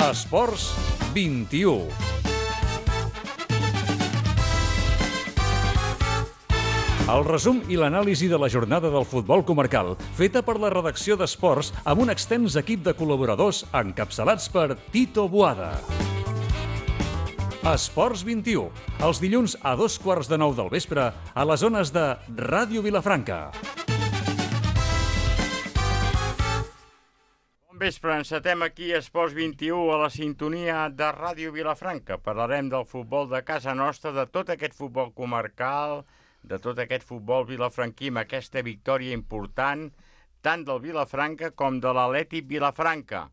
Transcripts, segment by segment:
Esports 21. El resum i l'anàlisi de la jornada del futbol comarcal, feta per la redacció d'Esports amb un extens equip de col·laboradors encapçalats per Tito Boada. Esports 21, els dilluns a 8:15 del vespre a les zones de Ràdio Vilafranca. Bon vespre, encetem aquí Esports 21 a la sintonia de Ràdio Vilafranca. Parlarem del futbol de casa nostra, de tot aquest futbol comarcal, de tot aquest futbol vilafranquí amb aquesta victòria important, tant del Vilafranca com de l'Atlètic Vilafranca.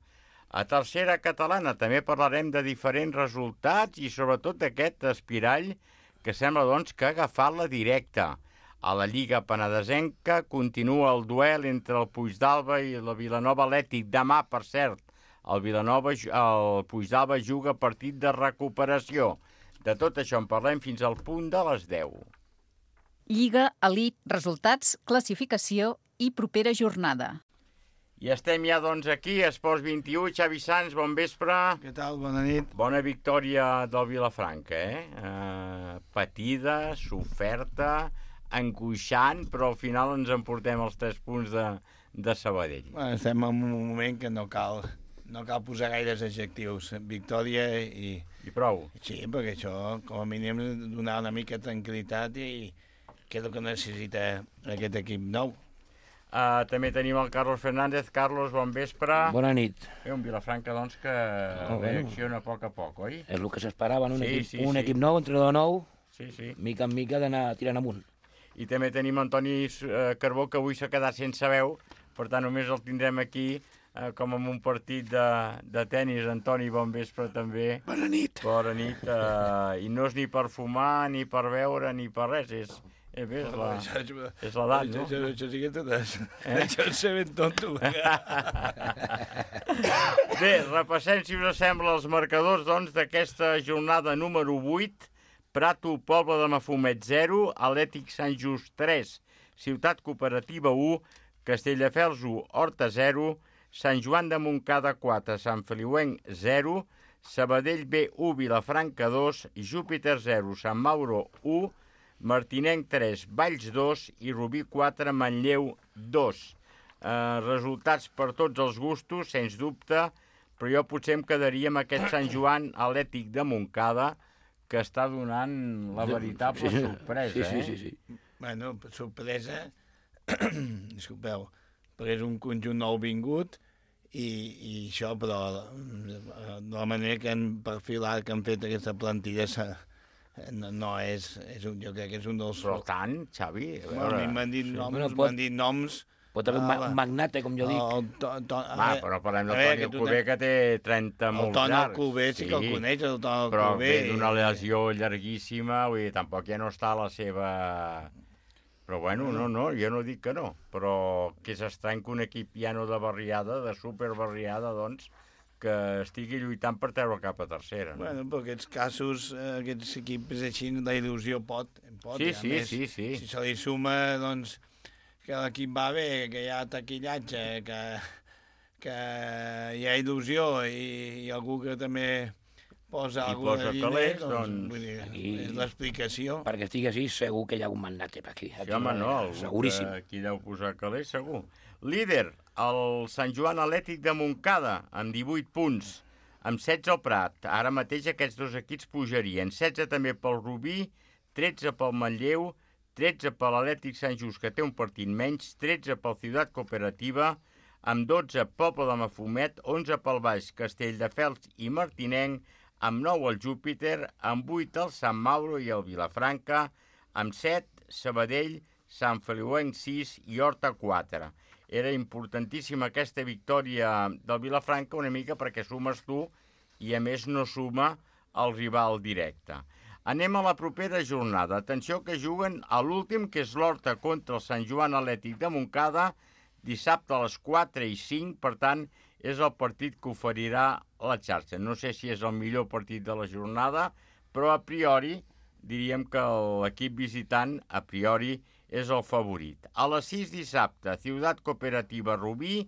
A tercera catalana també parlarem de diferents resultats i sobretot d'aquest espirall que sembla doncs que ha agafat la directa. A la Lliga Penedesenca continua el duel entre el Puigdàlber i la Vilanova Atlètic. Demà, per cert, el Puigdàlber juga partit de recuperació. De tot això en parlem fins al punt de les 10. Lliga, elit, resultats, classificació i propera jornada. I estem ja, doncs, aquí, Esports 21. Xavi Sans, bon vespre. Què tal? Bona nit. Bona victòria del Vilafranca, patida, soferta, angoixant, però al final ens emportem els 3 punts de Sabadell. Bueno, estem en un moment que no cal posar gaires adjectius. Victòria i... I prou. Sí, perquè això, com a mínim, donar una mica de tranquil·litat i que és el que necessita aquest equip nou. També tenim el Carlos Fernández. Carlos, bon vespre. Bona nit. Un Vilafranca, doncs, que reacciona a poc a poc, oi? És el que s'esperava en un equip nou, entrenador nou, mica en mica d'anar tirant amunt. I també tenim Antoni Carbó, que avui s'ha quedat sense veu, per tant només el tindrem aquí com en un partit de tennis. Antoni, bon vespre també. Bona nit. Bona nit. I no és ni per fumar, ni per beure, ni per res, és l'edat, no? Això sí que totes. Això és ser ben tonto. Bé, repassem, si us sembla, els marcadors doncs d'aquesta jornada número 8. Prato, Poble de Mafumet 0, Atlètic Sant Just 3, Ciutat Cooperativa 1, Castelldefels 1, Horta 0, Sant Joan de Montcada 4, Sant Feliuenc 0, Sabadell B 1, Vilafranca 2, Júpiter 0, Sant Mauro 1, Martinenc 3, Valls 2 i Rubí 4, Manlleu 2. Resultats per tots els gustos, sens dubte, però jo potser em quedaria amb aquest Sant Joan Atlètic de Montcada, que està donant la veritable sorpresa. Sí. Bueno, sorpresa, disculpeu, perquè és un conjunt nou vingut i això, però de la manera que han perfilat, que han fet aquesta plantilla, no és jo crec que és un dels... Però tant, Xavi... A mi m'han dit noms... Pot haver un magnate, com jo dic. Però parlem del Toni Alcover, que té 30 molt llargs. El Toni Alcover sí que el coneix, el Toni Alcover. Però ve d'una lesió llarguíssima, vull dir, tampoc ja no està a la seva... Però bueno, no, jo no dic que no. Però que és estrany que un equip ja no de barriada, de superbarriada, doncs, que estigui lluitant per treure cap a tercera. No? Bueno, però aquests casos, aquests equips així, la il·lusió pot. Sí. Si se li suma, doncs, que l'equip va bé, que hi ha taquillatge, que hi ha il·lusió i algú que també posa algú de diner, doncs, vull dir, és l'explicació. Perquè estigui així, segur que hi ha un magnate per aquí. Sí, home, no, seguríssim. Aquí deu posar calés, segur. Líder, el Sant Joan Atlètic de Montcada, amb 18 punts, amb 16 al Prat. Ara mateix aquests dos equips pujarien. 16 també pel Rubí, 13 pel Manlleu, 13 per l'Atlètic Sant Just, que té un partit menys, 13 pel Ciutat Cooperativa, amb 12 Poble de Mafumet, 11 pel Baix, Castelldefels i Martinenc, amb 9 el Júpiter, amb 8 el Sant Mauro i el Vilafranca, amb 7 Sabadell, Sant Feliuenc 6 i Horta 4. Era importantíssima aquesta victòria del Vilafranca una mica perquè sumes tu i a més no suma el rival directe. Anem a la propera jornada. Atenció que juguen a l'últim, que és l'Horta contra el Sant Joan Atlètic de Montcada, dissabte a les 4 i 5, per tant, és el partit que oferirà la xarxa. No sé si és el millor partit de la jornada, però a priori diríem que l'equip visitant, a priori, és el favorit. A les 6 dissabte, Ciutat Cooperativa Rubí,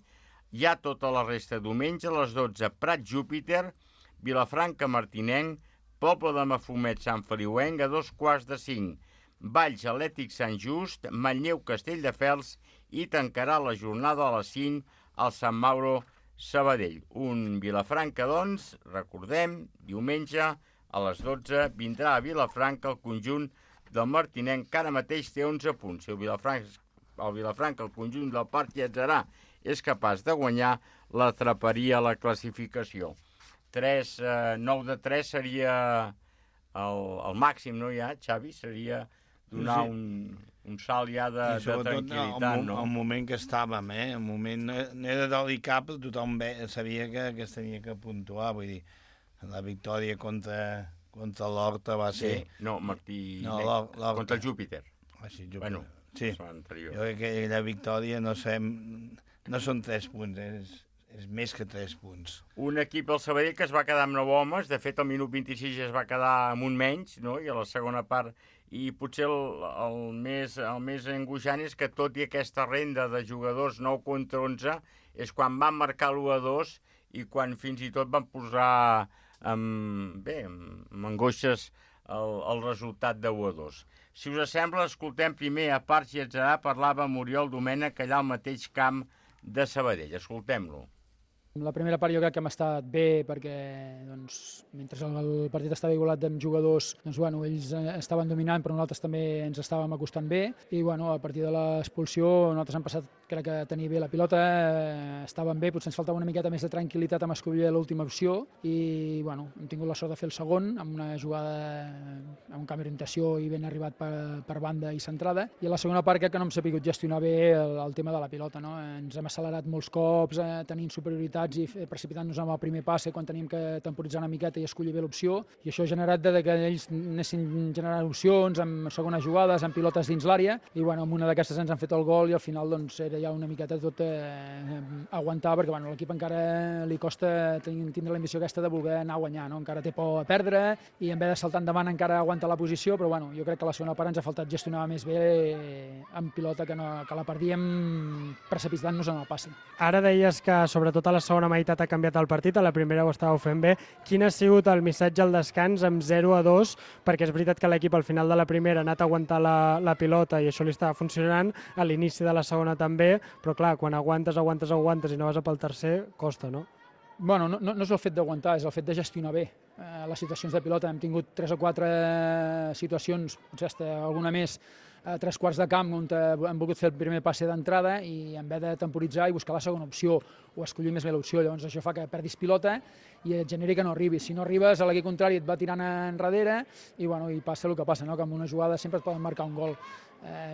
hi ha tota la resta diumenge, a les 12, Prat Júpiter, Vilafranca Martinenc, Poble de Mafumet Sant Feliuenc a 2:45, Valls Atlètic Sant Just, Manlleu Castelldefels i tancarà la jornada a les 5 al Sant Mauro Sabadell. Un Vilafranca, doncs, recordem, diumenge a les 12 vindrà a Vilafranca el conjunt del Martinenc, que ara mateix té 11 punts. Si el Vilafranca, el conjunt del Parc Lletzerà, és capaç de guanyar, l'atraparia a la classificació. 9 de 3 seria el màxim, no ja, Xavi? Seria donar un salt ja de tranquil·litat, no? El moment que estàvem, el moment no era delicat, però tothom sabia que es tenia que puntuar, vull dir, la victòria contra l'Horta va ser... No, Martí, contra el Júpiter. Sí, Júpiter. Bueno, sí. Jo crec que la victòria no són 3 punts, és més que 3 punts. Un equip del Sabadell que es va quedar amb 9 homes, de fet al minut 26 es va quedar amb un menys, no? I a la segona part, i potser el més angoixant és que tot i aquesta renda de jugadors 9 contra 11 és quan van marcar l'1-2 i quan fins i tot van posar amb angoixes el resultat de 1-2. Si us sembla, escoltem primer a Parc Lletzerà, parlava amb Oriol Domènech allà al mateix camp de Sabadell. Escoltem-lo. La primera part jo crec que hem estat bé perquè mentre el partit estava igualat amb jugadors, ells estaven dominant però nosaltres també ens estàvem acostant bé i a partir de l'expulsió nosaltres hem passat, crec que, a tenir bé la pilota, estàvem bé, potser ens faltava una miqueta més de tranquil·litat amb escollir l'última opció i hem tingut la sort de fer el segon amb una jugada amb un canvi d'orientació i ben arribat per banda i centrada, i a la segona part crec que no hem sabut gestionar bé el tema de la pilota, no? Ens hem accelerat molts cops tenint superioritat i precipitant-nos amb el primer passe quan teníem que temporitzar una miqueta i escollir bé l'opció, i això ha generat que ells anessin generant opcions amb segones jugades, amb pilotes dins l'àrea, i amb una d'aquestes ens han fet el gol i al final era ja una miqueta tot aguantar, perquè l'equip encara li costa tindre l'ambició aquesta de voler anar a guanyar, no? Encara té por a perdre i en vez de saltar endavant encara aguanta la posició, però jo crec que a la segona part ens ha faltat gestionar més bé amb pilota, que la perdíem precipitant-nos en el passe. Ara deies que sobretot a la segona meitat ha canviat el partit, a la primera ho estàveu fent bé. Quin ha sigut el missatge al descans amb 0-2? Perquè és veritat que l'equip al final de la primera ha anat a aguantar la pilota i això li estava funcionant, a l'inici de la segona també, però clar, quan aguantes i no vas a pel tercer, costa, no? No és el fet d'aguantar, és el fet de gestionar bé les situacions de pilota. Hem tingut 3 o 4 situacions, potser alguna més, a 3 quarts de camp on hem volgut fer el primer passe d'entrada i en vez de temporitzar i buscar la segona opció o escollir més bé l'opció, llavors això fa que perdis pilota i et generi que no arribis. Si no arribes, a l'equip contrari et va tirant enrere i passa el que passa, no? Que amb una jugada sempre et poden marcar un gol.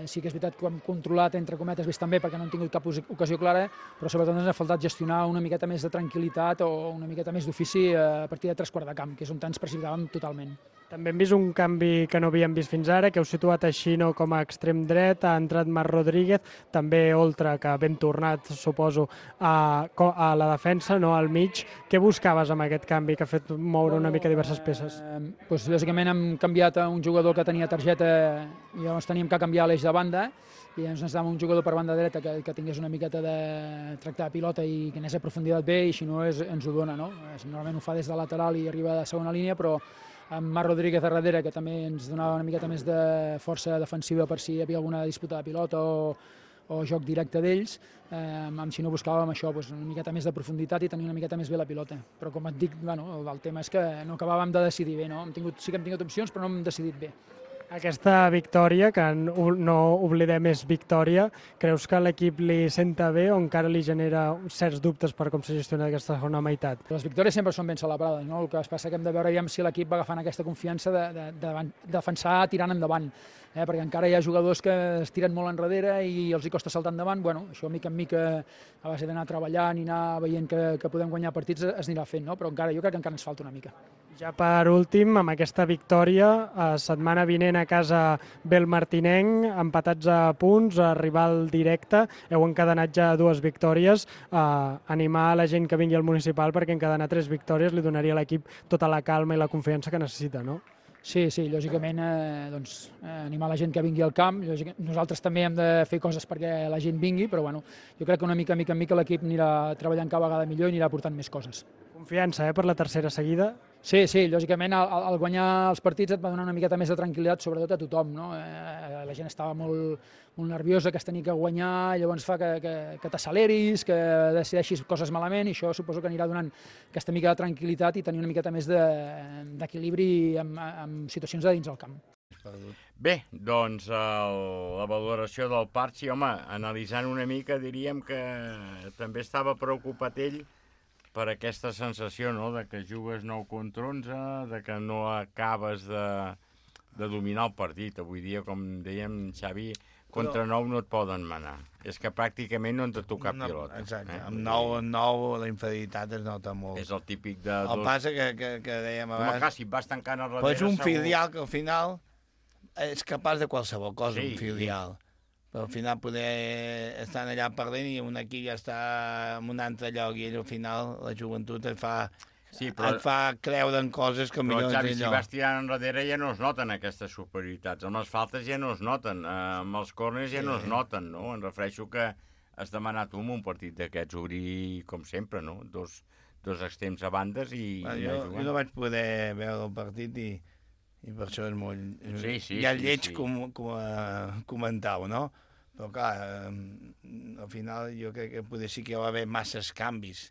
Sí que és veritat que ho hem controlat, entre cometes, bastant bé, perquè no hem tingut cap ocasió clara, però sobretot ens ha faltat gestionar una miqueta més de tranquil·litat o una miqueta més d'ofici a partir de 3 quarts de camp, que és on ens precipitàvem totalment. També hem vist un canvi que no havíem vist fins ara, que heu situat a Xino com a extrem dret, ha entrat Marc Rodríguez, també Oltra, que ben tornat, suposo, a la defensa, no al mig. Què buscaves amb aquest canvi que ha fet moure una mica diverses peces? Bàsicament hem canviat a un jugador que tenia targeta i llavors teníem que canviar l'eix de banda i ens necessitàvem un jugador per banda dreta que tingués una miqueta de tractar de pilota i que anés a profunditat bé, i si no ens ho dona, no? Normalment ho fa des de lateral i arriba a segona línia, però amb Marc Rodríguez a darrere, que també ens donava una miqueta més de força defensiva per si hi havia alguna disputa de pilota o joc directe d'ells, amb si no buscàvem això, una miqueta més de profunditat i tenir una miqueta més bé la pilota. Però com et dic, el tema és que no acabàvem de decidir bé, no? Sí que hem tingut opcions, però no hem decidit bé. Aquesta victòria, que no oblidem és victòria, creus que l'equip li senta bé o encara li genera certs dubtes per com s'ha gestionat aquesta segona meitat? Les victòries sempre són ben celebrades, no? El que es passa que hem de veure si l'equip va agafant aquesta confiança de defensar tirant endavant, perquè encara hi ha jugadors que es tiren molt enrere i els hi costa saltar endavant. Això mica en mica, a base d'anar treballant i anar veient que podem guanyar partits, es anirà fent, no? Però jo crec que encara ens falta una mica. Ja per últim, amb aquesta victòria, setmana vinent a casa ve el Martinenc, empatats a punts, a rival directe, heu encadenat ja 2 victòries, animar a la gent que vingui al municipal perquè encadenar 3 victòries li donaria a l'equip tota la calma i la confiança que necessita, no? Sí, lògicament, animar la gent que vingui al camp. Nosaltres també hem de fer coses perquè la gent vingui, però jo crec que una mica en mica l'equip anirà treballant cada vegada millor i anirà portant més coses. Confiança, per la tercera seguida. Sí, lògicament al guanyar els partits et va donar una miqueta més de tranquil·litat, sobretot a tothom, no? La gent estava molt nerviosa, que es tenia que guanyar, llavors fa que t'acceleris, que decideixis coses malament, i això suposo que anirà donant aquesta mica de tranquil·litat i tenir una miqueta més d'equilibri en situacions de dins del camp. Bé, doncs la valoració del Parchi, home, analitzant una mica diríem que també estava preocupat ell per aquesta sensació, no?, de que jugues 9 contra 11, de que no acabes de dominar el partit. Avui dia, com dèiem, Xavi, contra 9 no et poden manar. És que pràcticament no ens toca pilota. Exacte, amb 9 la inferioritat es nota molt. És el típic de... El passa que dèiem abans... Home, clar, si et vas tancant a darrere... Però és un filial que al final és capaç de qualsevol cosa, un filial. Però al final poder estar allà perdent i un aquí ja està en un altre lloc i ell al final la joventut et fa creure en coses que millor... Però Xavi, si vas tirant enrere ja no es noten aquestes superioritats. Amb les faltes ja no es noten, amb els corners ja no es noten, no? Em refereixo que has demanat un partit d'aquests, obrir com sempre, no? Dos extrems a bandes i... Jo no vaig poder veure el partit i per això és molt... Ja lleig comentau, no? Però clar, al final jo crec que potser sí que hi va haver masses canvis.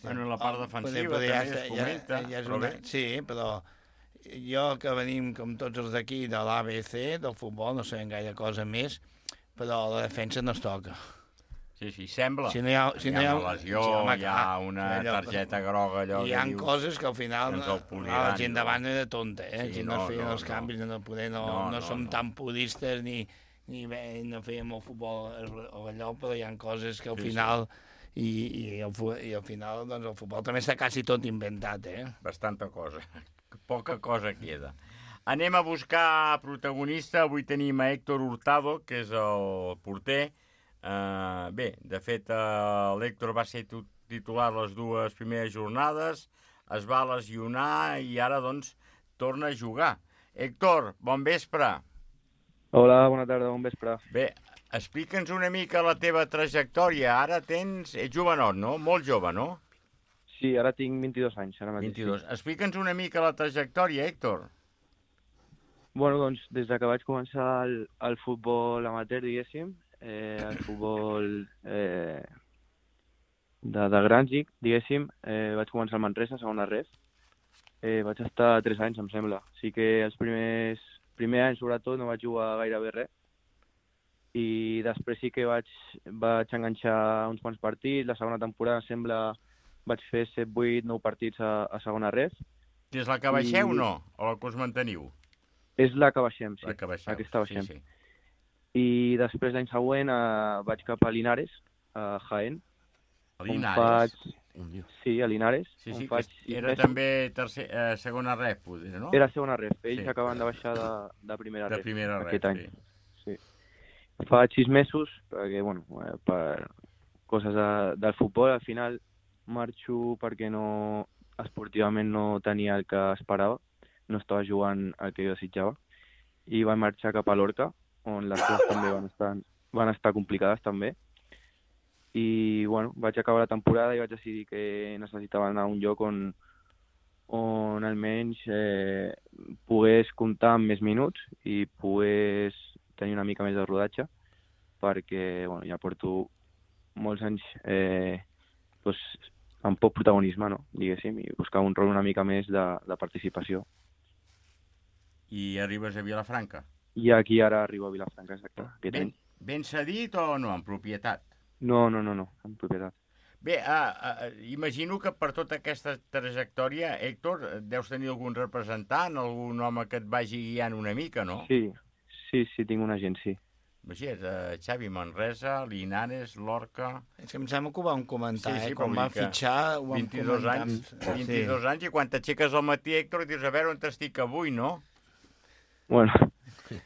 Bueno, la part defensiva també es comenta, però bé. Sí, però jo que venim com tots els d'aquí de l'ABC, del futbol, no sabem gaire cosa més, però la defensa no es toca. Sí, sembla. Si no hi ha una lesió, hi ha una targeta groga, allò... Hi ha coses que al final la gent davant era tonta, si no es feien els canvis, no som tan pudistes ni no fèiem el futbol allò, però hi ha coses que al final... I al final doncs, el futbol també està quasi tot inventat, Bastanta cosa. Poca cosa queda. Anem a buscar protagonista. Avui tenim a Héctor Hurtado, que és el porter. Bé, de fet, l'Héctor va ser titular les 2 primeres jornades, es va lesionar i ara, doncs, torna a jugar. Héctor, bon vespre. Hola, bona tarda, bon vespre. Bé, explica'ns una mica la teva trajectòria. Ara ets jovenot, no? Molt jove, no? Sí, ara tinc 22 anys, ara mateix. 22. Explica'ns una mica la trajectòria, Héctor. Bueno, doncs, des que vaig començar el futbol amateur, diguéssim, el futbol de grans, diguéssim, vaig començar al Manresa, segona ref. Vaig estar 3 anys, em sembla. Sí que els primer anys, sobretot, no vaig jugar gairebé res. I després sí que vaig enganxar uns quants partits. La segona temporada, em sembla, vaig fer 7, 8, 9 partits a segona ref. És la que baixeu o no? O la que us manteniu? És la que baixem, sí. La que baixeu. Aquesta baixem. Sí. I després l'any següent vaig cap a Linares, a Jaén. A Linares? Sí, a Linares. Sí, era també segona ref, no? Era segona ref. Ells acaben de baixar de primera ref. De primera ref, aquest any. Sí. Faig 6 mesos, perquè, bueno, per coses del futbol, al final marxo perquè esportivament no tenia el que esperava, no estava jugant el que jo desitjava, i vaig marxar cap a Lorca, on les coses també van estar complicades també. I, bueno, vaig acabar la temporada i vaig decidir que necessitava anar a un lloc on almenys pogués comptar amb més minuts i pogués tenir una mica més de rodatge, perquè, bueno, ja porto molts anys amb poc protagonisme, no? Diguéssim, i buscar un rol una mica més de participació. I arribes a Vilafranca? I aquí ara arribo a Vilafranca, exacte. Ben cedit o no, en propietat? No, en propietat. Bé, imagino que per tota aquesta trajectòria, Héctor, deus tenir algun representant, algun home que et vagi guiant una mica, no? Sí, tinc un agent, sí. Imagina't, Xavi, Manresa, Linares, Lorca... És que em sembla que ho vam comentar, quan van fitxar ho vam 22 anys, 22 anys, i quan t'aixeques al matí, Héctor, dius, a veure on estic avui, no? Bueno,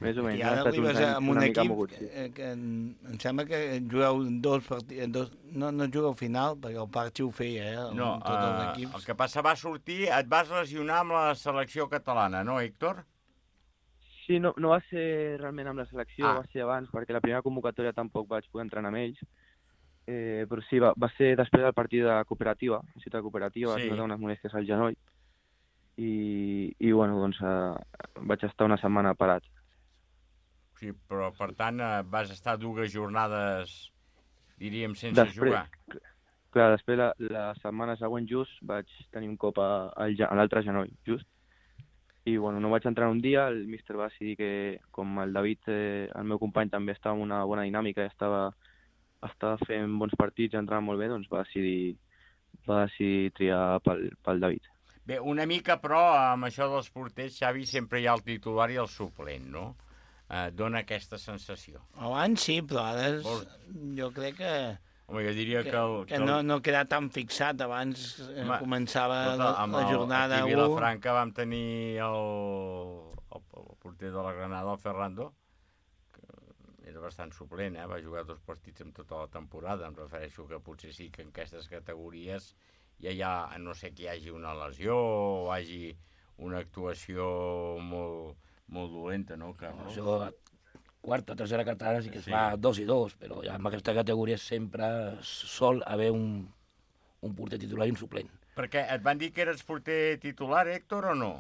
més o menys. I ara arribes amb un equip que em sembla que jugueu 2 partits, no jugueu al final, perquè el Parchi ho feia, no, tots els equips. El que passa va sortir, et vas lesionar amb la selecció catalana, no, Héctor? Sí, no va ser realment amb la selecció, va ser abans, perquè la primera convocatòria tampoc vaig poder entrenar amb ells, Però sí, va ser després del partit de la cooperativa, ciutat cooperativa, Sí. vaig notar unes molèsties al genoll i bueno, doncs vaig estar una setmana parat. Sí, però per tant vas estar 2 jornades, diríem, sense jugar. Clar, després la setmana següent just vaig tenir un cop a l'altre genoll, just. I bueno, no vaig entrar un dia, el míster va decidir que, com el David, el meu company, també estava en una bona dinàmica i estava fent bons partits, entrava molt bé, doncs va decidir triar pel David. Bé, una mica, però, amb això dels porters, Xavi, sempre hi ha el titular i el suplent, no? Dona aquesta sensació. Abans sí, però ara jo crec que... Home, jo diria que no queda tan fixat. Abans començava la jornada 1... Aquí a Vilafranca vam tenir el porter de la Granada, el Ferrando, que era bastant suplent, va jugar 2 partits en tota la temporada. Em refereixo que potser sí que en aquestes categories ja hi ha, no sé, que hi hagi una lesió o hagi una actuació molt dolenta, no, Carlos? Això, quarta, tercera catalana sí que es fa 2 i 2, però ja en aquesta categoria sempre sol haver un porter titular i un suplent. Perquè et van dir que eres porter titular, Héctor, o no?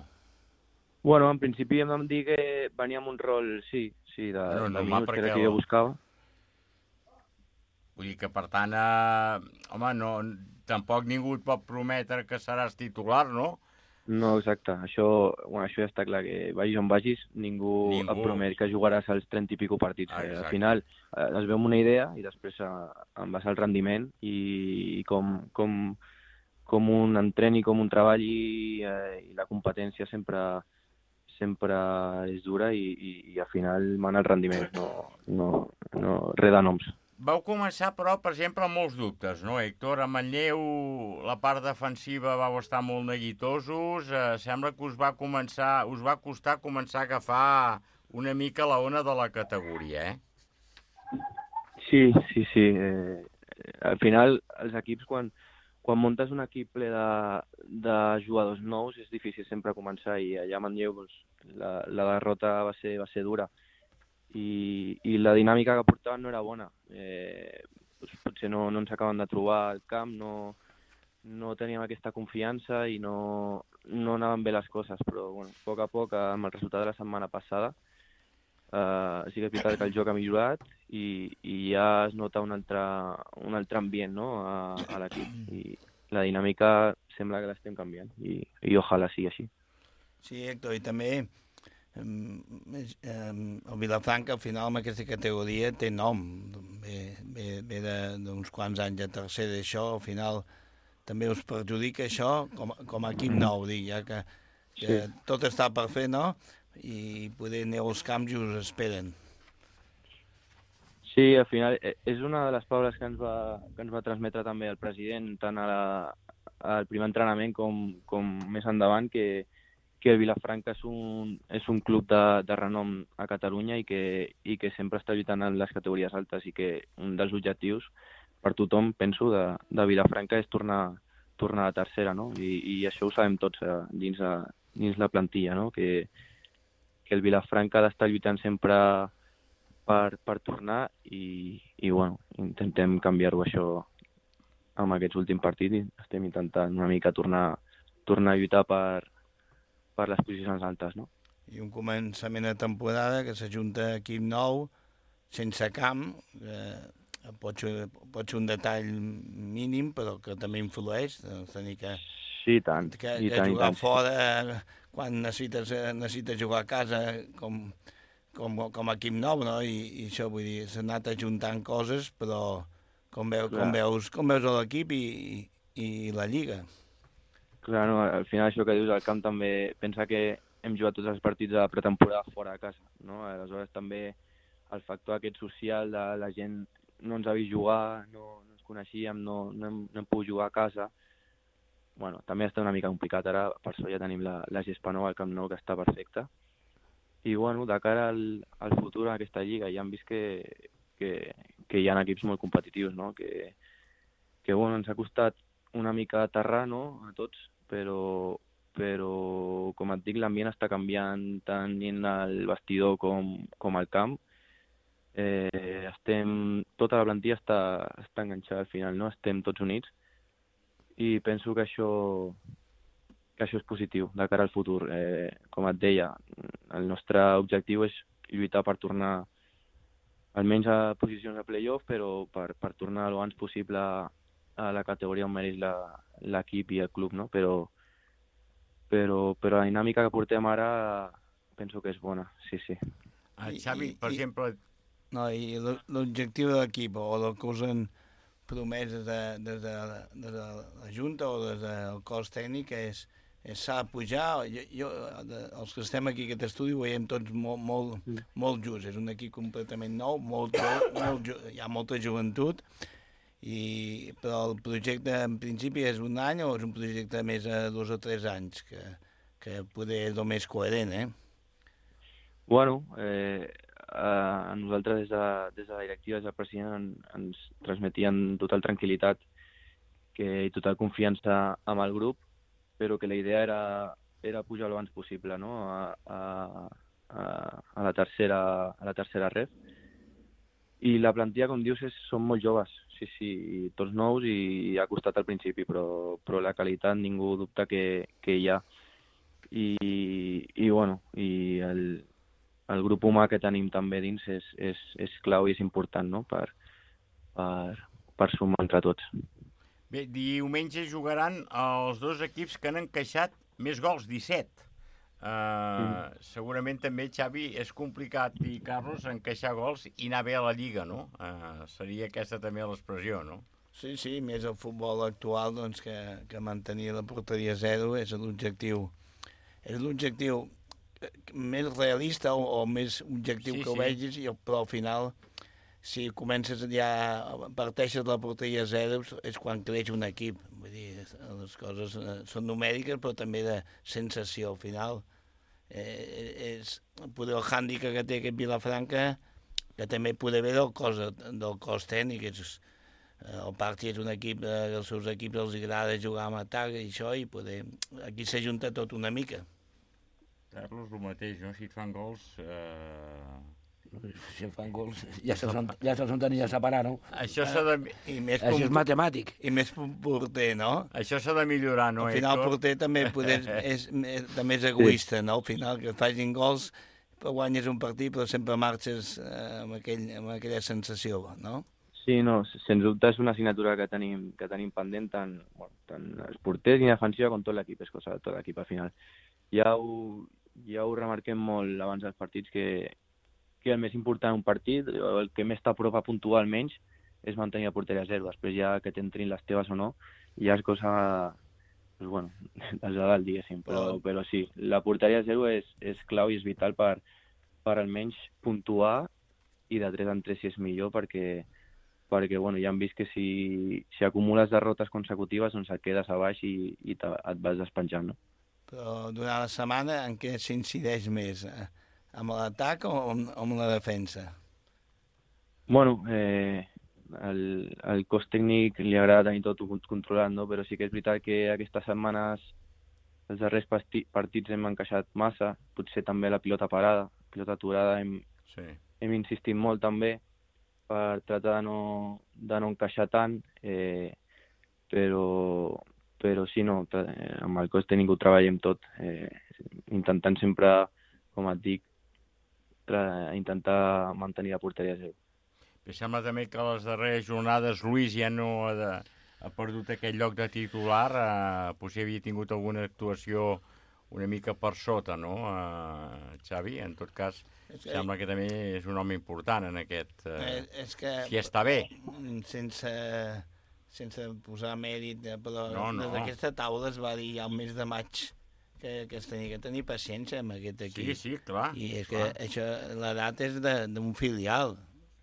Bueno, en principi em van dir que venia amb un rol, sí, de minuts, que era que jo buscava. Vull dir que, per tant, home, tampoc ningú et pot prometre que seràs titular, no? No, exacte. Això ja està clar, que vagis on vagis, ningú et promet que jugaràs als 30 i pico partits. Al final es veu una idea i després en base al rendiment i com un entren i com un treball i la competència sempre és dura i al final mana el rendiment, no res de noms. Vau començar, però, per exemple, amb molts dubtes, no, Héctor? A Manlleu, la part defensiva vau estar molt neguitosos. Sembla que us va costar començar a agafar una mica la ona de la categoria, Sí. Al final, els equips, quan muntes un equip ple de jugadors nous, és difícil sempre començar, i allà a Manlleu la derrota va ser dura. I la dinàmica que portaven no era bona. Potser no ens acaben de trobar al camp, no teníem aquesta confiança i no anaven bé les coses, però bueno, a poc, amb el resultat de la setmana passada, sí que és veritat que el joc ha millorat i ja es nota un altre ambient, no, a l'equip, i la dinàmica sembla que l'estem canviant i ojalà sigui així. Sí, Héctor, i també el Vilafranca al final amb aquesta categoria té nom, ve d'uns quants anys de tercera, això al final també us perjudica això com a equip nou, ja que tot està per fer, no? I poder anar als camps i us esperen. Sí, al final és una de les paraules que ens va transmetre també el president, tant al primer entrenament com més endavant, que el Vilafranca és un club de renom a Catalunya i que sempre està lluitant en les categories altes, i que un dels objectius per tothom, penso, de Vilafranca és tornar a tercera, no? I això ho sabem tots dins la plantilla, no? Que el Vilafranca ha d'estar lluitant sempre per tornar i bueno, intentem canviar-ho això amb aquests últims partits i estem intentant una mica tornar a lluitar per les posicions altes, no? I un començament de temporada que s'ajunta equip nou, sense camp, pot ser un detall mínim, però que també influeix, tenir que jugar fora quan necessites jugar a casa com a equip nou, no? I això, vull dir, s'ha anat ajuntant coses, però com veus l'equip i la Lliga. Clar, no, al final això que dius al camp també pensa que hem jugat tots els partits de pretemporada fora de casa, no? Aleshores també el factor aquest social de la gent no ens ha vist jugar, no ens coneixíem, no hem pogut jugar a casa. Bueno, també està una mica complicat ara, per això ja tenim la gespa nova al Camp Nou, que està perfecta. I bueno, de cara al futur en aquesta lliga ja hem vist que hi ha equips molt competitius, no? Que bueno, ens ha costat una mica aterrar, no?, a tots, però com et dic, l'ambient està canviant tant en el vestidor com al camp. tota la plantilla està enganxada al final, no? Estem tots units i penso que això és positiu de cara al futur. Com et deia, el nostre objectiu és lluitar per tornar almenys a posicions de play-off, però per tornar el abans possible a la categoria on mereix l'equip i el club, no? Però la dinàmica que portem ara penso que és bona, sí. Xavi, per exemple... No, i l'objectiu de l'equip, o el que us han promès des de la Junta o des del cos tècnic, s'ha de pujar. Els que estem aquí a aquest estudi ho veiem tots molt just. És un equip completament nou, hi ha molta joventut, però el projecte en principi és un any o és un projecte més a 2 o 3 anys, que poder és el més coherent, Bueno, a nosaltres des de la directiva, des del president, ens transmetien total tranquil·litat i total confiança amb el grup, però que la idea era pujar el abans possible, no? a la tercera ref. I la plantilla, com dius, són molt joves, sí, tots nous i ha costat al principi, però la qualitat ningú dubta que hi ha. I bueno, i el grup humà que tenim també dins és clau i és important, no? per sumar entre tots. Bé, diumenge jugaran els 2 equips que han encaixat més gols, 17. Segurament també, Xavi, és complicat, i Carlos, encaixar gols i anar bé a la Lliga, no? Seria aquesta també l'expressió, no? Sí, més el futbol actual, doncs, que mantenir la porteria 0 és l'objectiu. És l'objectiu més realista o més objectiu que ho vegis, però al final, si comences parteixes de la porteria 0, és quan creix un equip. Vull dir, les coses són numèriques, però també de sensació. Al final, és poder el hàndicap que té aquest Vilafranca, que també poder haver del cos tècnic. El Parti és un equip, els seus equips els agrada jugar amb atac i això, i poder aquí s'ajunta tot una mica. Carlos, el mateix, no? Si et fan gols... Si et fan gols, ja se'ls tenia a separar, no? Això s'ha de... Això és matemàtic. I més porter, no? Això s'ha de millorar, no? Al final el porter també és egoista, no? Al final, que facin gols, però guanyes un partit, però sempre marxes amb aquella sensació, no? Sí, no, sens dubte és una assignatura que tenim pendent tant els porters i defensiva com tot l'equip, és cosa de tot l'equip al final. Ja ho remarquem molt abans dels partits, que el més important en un partit, el que més t'aprop a puntuar almenys, és mantenir la porteria 0. Després ja que t'entrin les teves o no, ja és cosa, pues bueno, des de dalt, diguéssim. Però sí, la porteria 0 és clau i és vital per almenys puntuar, i de 3 en 3 si és millor, perquè bueno, ja hem vist que si acumules derrotes consecutives, doncs et quedes a baix i et vas despenjant, no? Però durant la setmana en què s'incideix més? Amb l'atac o amb la defensa? Bueno, el cos tècnic li agrada tenir tot controlat, no? Però sí que és veritat que aquestes setmanes, els darrers partits hem encaixat massa, potser també la pilota parada, pilota aturada, hem insistit molt també per tractar de no encaixar tant, però sí, no, amb el cos tècnic ho treballem tot, intentant sempre, com et dic, intentar mantenir la porteria 0. Em sembla també que a les darreres jornades Luis ja no ha perdut aquest lloc de titular, potser havia tingut alguna actuació una mica per sota, no, Xavi? En tot cas, sembla que també és un home important en aquest... si està bé. Sense posar mèrit, però des d'aquesta taula es va dir ja el mes de maig que es tenia que tenir paciència amb aquest equip. Sí, clar. I és que això, l'edat és d'un filial,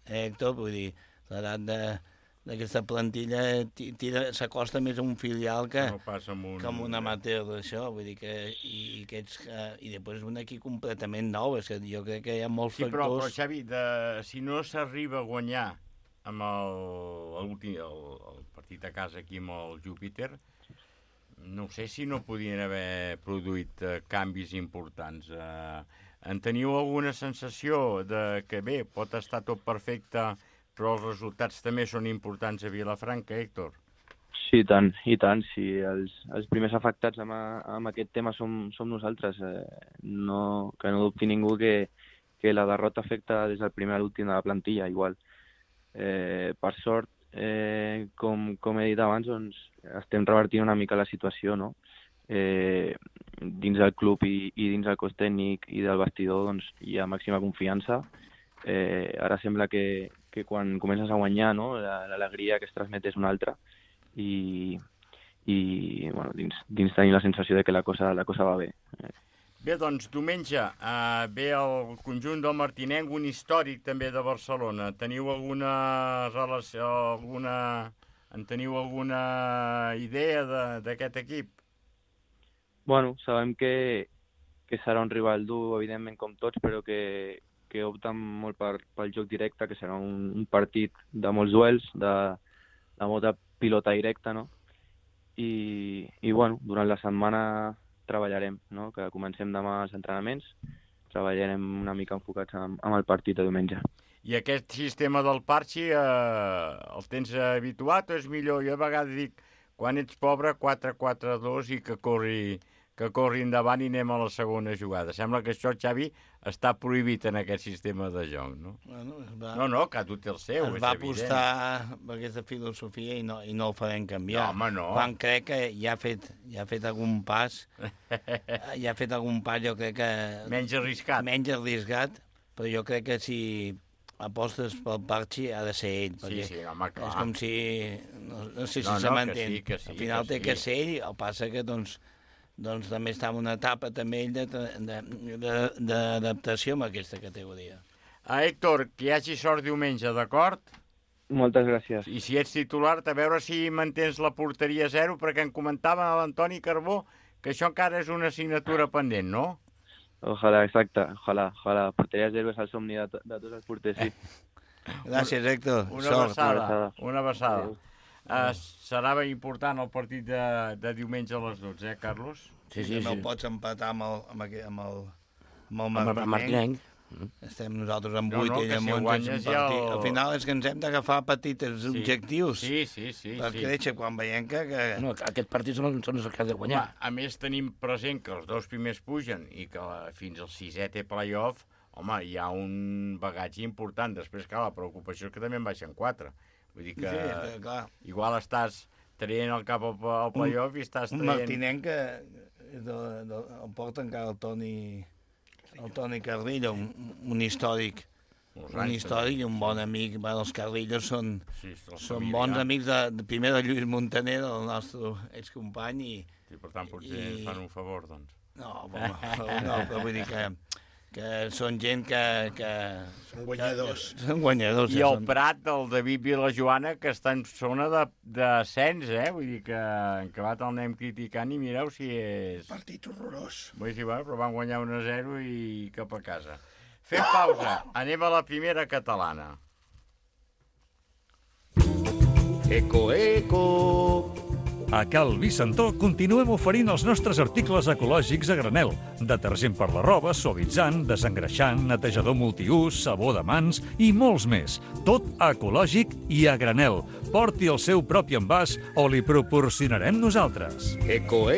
Héctor, vull dir, l'edat d'aquesta plantilla s'acosta més a un filial que amb un amateur d'això, vull dir que i després és un equip completament nou, és que jo crec que hi ha molts factors... Però Xavi, si no s'arriba a guanyar amb el partit a casa aquí amb el Júpiter, no sé si no podien haver produït canvis importants. en teniu alguna sensació de que, bé, pot estar tot perfecte, però els resultats també són importants a Vilafranca, Héctor? Sí, i tant. Sí, els primers afectats amb aquest tema som nosaltres. Que no dubti ningú que la derrota afecta des del primer a l'últim de la plantilla, igual. Per sort, com he dit abans, doncs, estem revertint una mica la situació, no? Dins del club i dins del cos tècnic i del vestidor doncs, hi ha màxima confiança. Ara sembla que quan comences a guanyar, no? L'alegria que es transmet és una altra i bueno, dins tenim la sensació de que la cosa va bé. Bé, doncs diumenge ve el conjunt del Martinenc, un històric també de Barcelona. Teniu alguna relació, teniu alguna idea d'aquest equip? Bueno, sabem que serà un rival dur, evidentment, com tots, però que opten molt pel joc directe, que serà un partit de molts duels, de molta pilota directa, no? I bueno, durant la setmana treballarem, no? Que comencem demà els entrenaments, treballarem una mica enfocats amb el partit de diumenge. I aquest sistema del Parchi el tens habituat o és millor? Jo a vegades dic, quan ets pobre, 4-4-2 i que corri endavant i anem a la segona jugada. Sembla que això, Xavi, està prohibit en aquest sistema de joc, no? Bueno, no, cada té el seu, és evident. Es va apostar per aquesta filosofia i no el farem canviar. No, home, no. Quan crec que ja ha fet algun pas, jo crec que... Menys arriscat. Menys arriscat, però jo crec que si apostes pel Parchi ha de ser ell. Sí, home, clar. És com si... No sé si se m'entén. Al final té que ser ell, el passa que, doncs també està en una etapa també ell d'adaptació amb aquesta categoria. Héctor, que hi hagi sort diumenge, d'acord? Moltes gràcies. I si ets titular, a veure si mantens la porteria 0, perquè em comentava l'Antoni Carbó que això encara és una assignatura pendent, no? Ojalà, exacte, ojalà. Porteria 0 és el somni de tots els porters, sí. Gràcies, Héctor. Una abraçada. Serà important el partit de diumenge a les 12, Carlos? Sí. No pots empatar amb el Martinenc. Estem nosaltres amb 8 i amb 11. Al final és que ens hem d'agafar petits objectius per créixer quan veiem que... No, aquest partit són els que has de guanyar. A més, tenim present que els dos primers pugen i que fins al 6è té play-off. Home, hi ha un bagatge important. Després, clar, la preocupació és que també en baixen 4. Vull dir que igual estàs traient el cap al play-off i estàs traient... Un Martinenc que el porta encara el Toni Carrillo, un històric. Un històric i un bon amic. Els Carrillos són bons amics primer de Lluís Montaner, del nostre excompany. Sí, per tant, potser ens fan un favor, doncs. No, però vull dir que són gent que... Són guanyadors. Són guanyadors. I el Prat, el David Vilajoana, que està en zona d'ascens, Vull dir que en acabat el anem criticant i mireu si és... Partit horrorós. Vull dir, però van guanyar 1-0 i cap a casa. Fem pausa. Anem a la primera catalana. Eco. A Cal Vicentó continuem oferint els nostres articles ecològics a granel. Detergent per la roba, suavitzant, desengreixant, netejador multiús, sabó de mans i molts més. Tot ecològic i a granel. Porti el seu propi envàs o li proporcionarem nosaltres. Eco.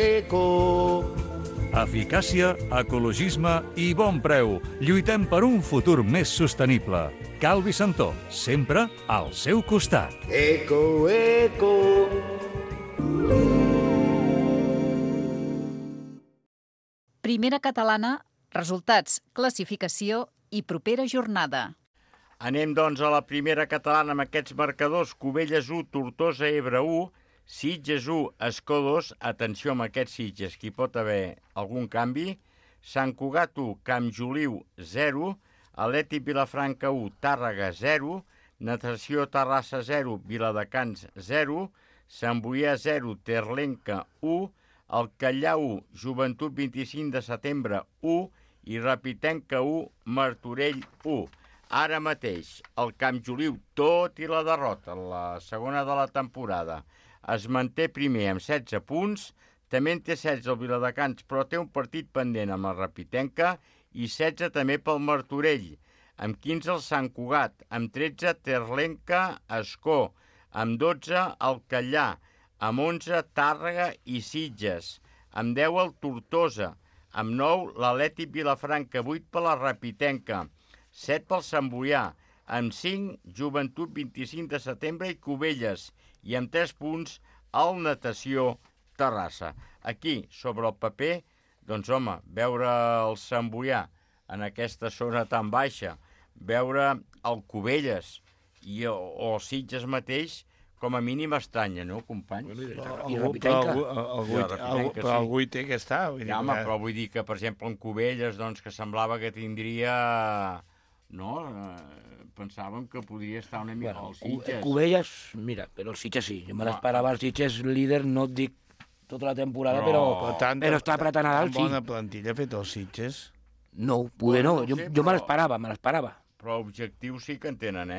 Eficàcia, ecologisme i bon preu. Lluitem per un futur més sostenible. Cal Vicentó, sempre al seu costat. Eco. Primera catalana, resultats, classificació i propera jornada. Anem, doncs, a la primera catalana amb aquests marcadors. Cubelles 1, Tortosa, Ebre 1, Sitges 1, Escó 2. Atenció amb aquests Sitges, que hi pot haver algun canvi. Sant Cugat 1, Campjoliu 0, Atlètic Vilafranca 1, Tàrrega 0, Natació Terrassa 0, Viladecans 0, Sant Boià 0, Terlenca 1, el Callà 1, Joventut 25 de setembre 1 i Rapitenca 1, Martorell 1. Ara mateix, el Campjoliu, tot i la derrota, la segona de la temporada, es manté primer amb 16 punts, també en té 16 el Viladecans, però té un partit pendent amb el Rapitenca i 16 també pel Martorell, amb 15 el Sant Cugat, amb 13 Terlenca, Ascó, amb 12 el Callà, amb 11 Tàrrega i Sitges, amb 10 el Tortosa, amb 9 l'Atlètic Vilafranca, 8 per la Rapitenca, 7 pel Sant Boià, amb 5 Joventut 25 de setembre i Cubelles, i amb 3 punts el Natació Terrassa. Aquí, sobre el paper, doncs home, veure el Sant Boià en aquesta zona tan baixa, veure el Cubelles o el Sitges mateix, com a mínim estranya, no, company? Però algú hi té que està. Ja, home, però vull dir que, per exemple, en Cubelles, doncs, que semblava que tindria... No? Pensàvem que podria estar una mica al Sitges. Cubelles, mira, però el Sitges sí. Jo me l'esperava el Sitges líder, no et dic tota la temporada, però està apretant a dalt, sí. Bona plantilla ha fet el Sitges? No, poder no. Jo me l'esperava. Però objectius sí que en tenen,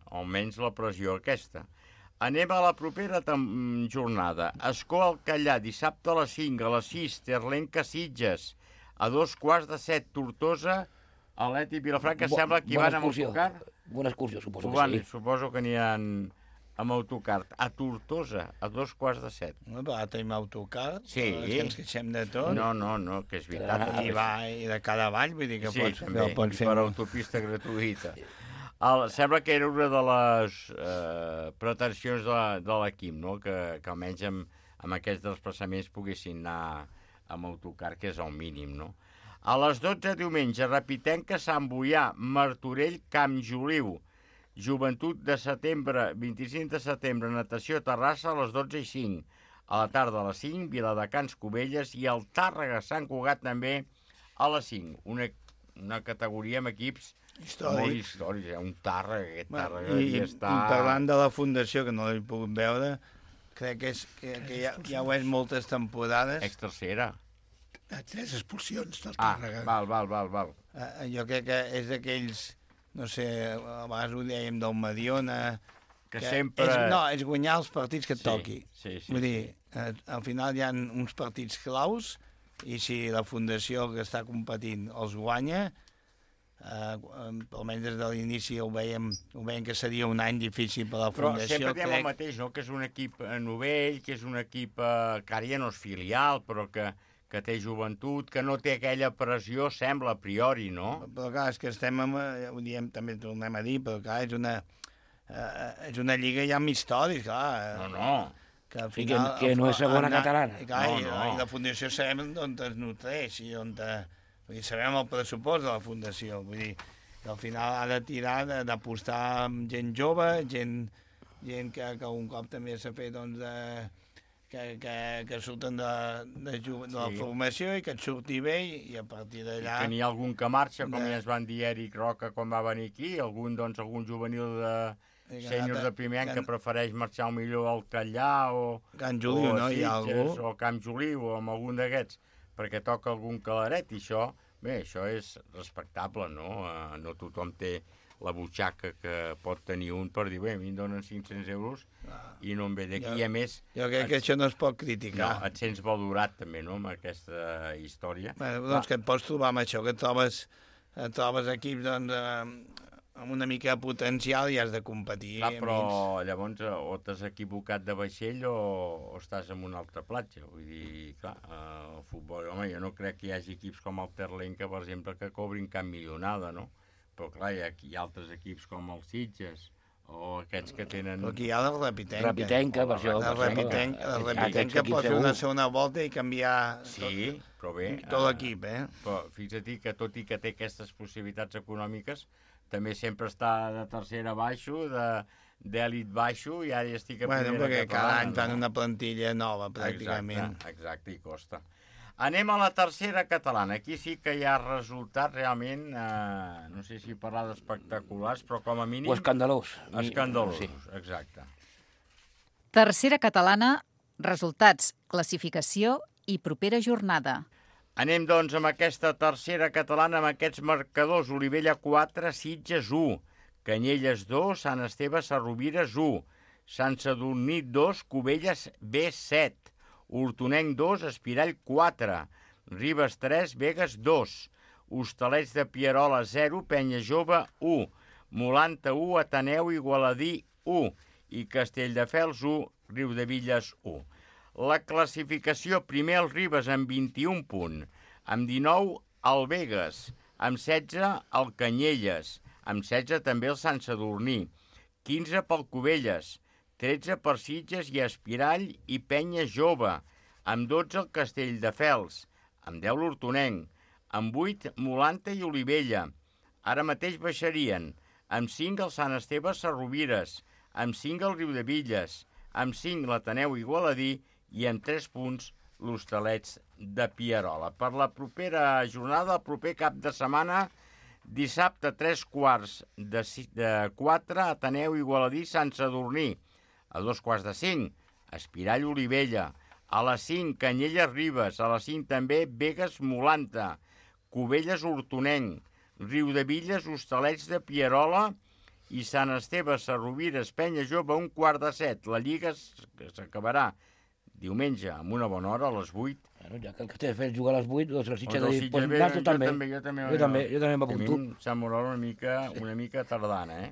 almenys la pressió aquesta. Anem a la propera jornada. Escó al Callà, dissabte a les 5, a les 6, Terlenca Sitges, a 2:15, Tortosa, Atlètic Vilafranca, sembla que hi van amb autocar. Bona excursió, suposo que sí. Suposo que aniran amb autocar. A Tortosa, a 2:15. No, però ara tenim autocar, sí. Que ens queixem de tot. No, que és veritat. I de cada vall, vull dir que sí, pots fer. Per autopista gratuïta. Sembla que era una de les pretensions de l'equip, no? Que almenys amb aquests desplaçaments poguessin anar amb autocar, que és el mínim, no? A les 12 diumenge, Rapitenca, Sant Boià, Martorell, Camp Joliu, Joventut de setembre, 25 de setembre, Natació Terrassa, a les 12:05. A la tarda a les 5, Viladecans, Cubelles, i el Tàrrega, Sant Cugat, també a les 5. Una categoria amb equips molt històrics. Un Tàrrega, aquest Tàrrega i està... I parlant de la fundació, que no l'he pogut veure, crec que ja ho és moltes temporades. Ex-tercera. A 3 expulsions del Tàrrega. Val. Jo crec que és d'aquells, no sé, a vegades ho dèiem del Mediona, que sempre... És guanyar els partits que et toqui. Sí. Vull dir, al final hi ha uns partits claus, i si la fundació que està competint els guanya, almenys des de l'inici ho veiem que seria un any difícil per a la fundació. Però sempre diem el mateix, no? Que és un equip novell, que és un equip que ara ja no és filial, però que té joventut, que no té aquella pressió, sembla, a priori, no? Però clar, és que estem ho diem, també tornem a dir, però clar, és una lliga ja amb històrics, clar. No. Que al final... Que no és segona catalana. I la fundació sabem d'on es nutreix i on... Sabem el pressupost de la fundació, vull dir, que al final ha de tirar, d'apostar amb gent jove, gent que un cop també s'ha fet, doncs, que surten de la formació i que et surti bé i a partir d'allà... I que n'hi ha algun que marxa, com ja ens van dir Eric Roca quan va venir aquí, algun juvenil de sèniors de primer any que prefereix marxar millor al Callà o Camp Joliu, no? Hi ha algú? O Camp Joliu o amb algun d'aquests, perquè toca algun calaret i això és respectable, no? No tothom té la butxaca que pot tenir un per dir, bé, a mi em donen 500 euros i no em ve d'aquí. I a més... Jo crec que això no es pot criticar. No, et sents valorat també, no?, amb aquesta història. Doncs que et pots trobar amb això, que et trobes equips, doncs, amb una mica de potencial i has de competir. Clar, però llavors o t'has equivocat de vaixell o estàs en una altra platja. Vull dir, clar, el futbol... Home, jo no crec que hi hagi equips com el Terlenca, per exemple, que cobrin cap milionada, no? Però clar, hi ha altres equips com els Sitges o aquests que tenen... Però aquí hi ha la Rapitenca. Rapitenca, per això. La Rapitenca pot fer una segona volta i canviar tot l'equip, Però fixa't que tot i que té aquestes possibilitats econòmiques, també sempre està de tercera baixo, d'èlit baixo, i ara ja estic a primera catalana. Perquè cada any fan una plantilla nova, pràcticament. Exacte, i costa. Anem a la tercera catalana. Aquí sí que hi ha resultats realment, no sé si parlar d'espectaculars, però com a mínim... O escandalós. Escandalós, sí. Exacte. Tercera catalana, resultats, classificació i propera jornada. Anem, doncs, amb aquesta tercera catalana, amb aquests marcadors. Olivella 4, Sitges 1, Canyelles 2, Sant Esteve Sarrovires 1, Sant Sadurní 2, Cubelles B7, Hortonenc 2, Espirall 4, Ribes 3, Begues 2, Hostalets de Pierola 0, Penya Jove 1, Molanta 1, Ateneu Igualadí 1 i Castelldefels 1, Riudevilles 1. La classificació, primer el Ribes amb 21 punts, amb 19 el Begues, amb 16 el Canyelles, amb 16 també el Sant Sadurní, 15 pel Cubelles, 13 per Sitges i Espirall i Penya Jove, amb 12 el Castelldefels, amb 10 l'Hortonenc, amb 8 Molanta i Olivella. Ara mateix baixarien, amb 5 el Sant Esteve Sarrovires, amb 5 el Riudevilles, amb 5 l'Ateneu Igualadí i amb 3 punts l'Hostalets de Pierola. Per la propera jornada, el proper cap de setmana, dissabte 3:45, Ateneu Igualadí Sant Sadurní, a 2:45, Espirall Olivella, a les 5 Canyelles Ribes, a les 5 també Begues Molanta, Cubelles Hortonenc, Riudevilles Hostalets de Pierola i Sant Esteve Sarrovires Penya Jove 6:45. La Lliga s'acabarà diumenge amb una bona hora a les 8. Bueno, ja que el Castelldefels juga a les 8, doncs el Sitges ha dit, Jo també m'apunto. Sant Morol una mica tardana, eh?